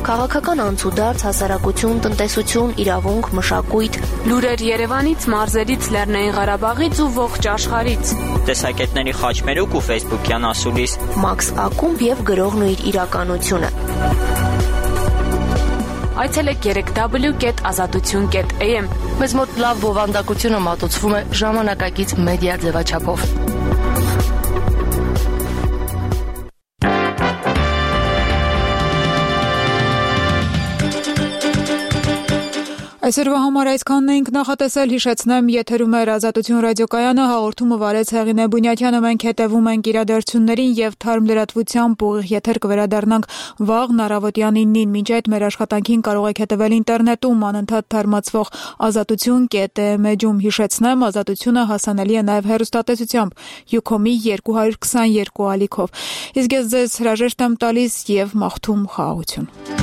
Քաղաքական անցուդարձ, հասարակություն, տնտեսություն, իրավունք, մշակույթ, լուրեր Երևանից, մարզերից, Լեռնային Ղարաբաղից ու ողջ աշխարհից։ Տեսակետների խաչմերուկ ու ֆեյսբուքյան ասուլիս։ Մաքս Ակումբ եւ գրողն ու իր իրականությունը։ Այցելեք երեք դաբլյու կետ ազատություն կետ է եմ Մեզ մոտ լավ բովանդակությունը մատուցվում է ժամանակակից մեդիա ձևաչափով։ Այսօրվա համար այսքանն էինք նախատեսել, հիշեցնեմ, եթերում էր Ազատություն ռադիոկայանը, հաղորդումը վարեց Հեղինե Բունյաթյանը, մենք հետևում ենք իրադարձություններին եւ թարմ լրատվությամբ ուղիղ եթեր կվերադառնանք վաղ առավոտյան իննին, մինչ այդ մեր աշխատանքին կարող եք հետևել ինտերնետում անընդհատ թարմացվող ազատություն կետ է մեջում, հիշեցնեմ, Ազատությունը հասանելի է նաեւ հեռուստատեսությամբ Յուքոմի երկու հարյուր քսաներկու ալիքով։ Իսկ ես ձեզ հրաժեշտ եմ տալիս եւ մաղթում խաղաղություն։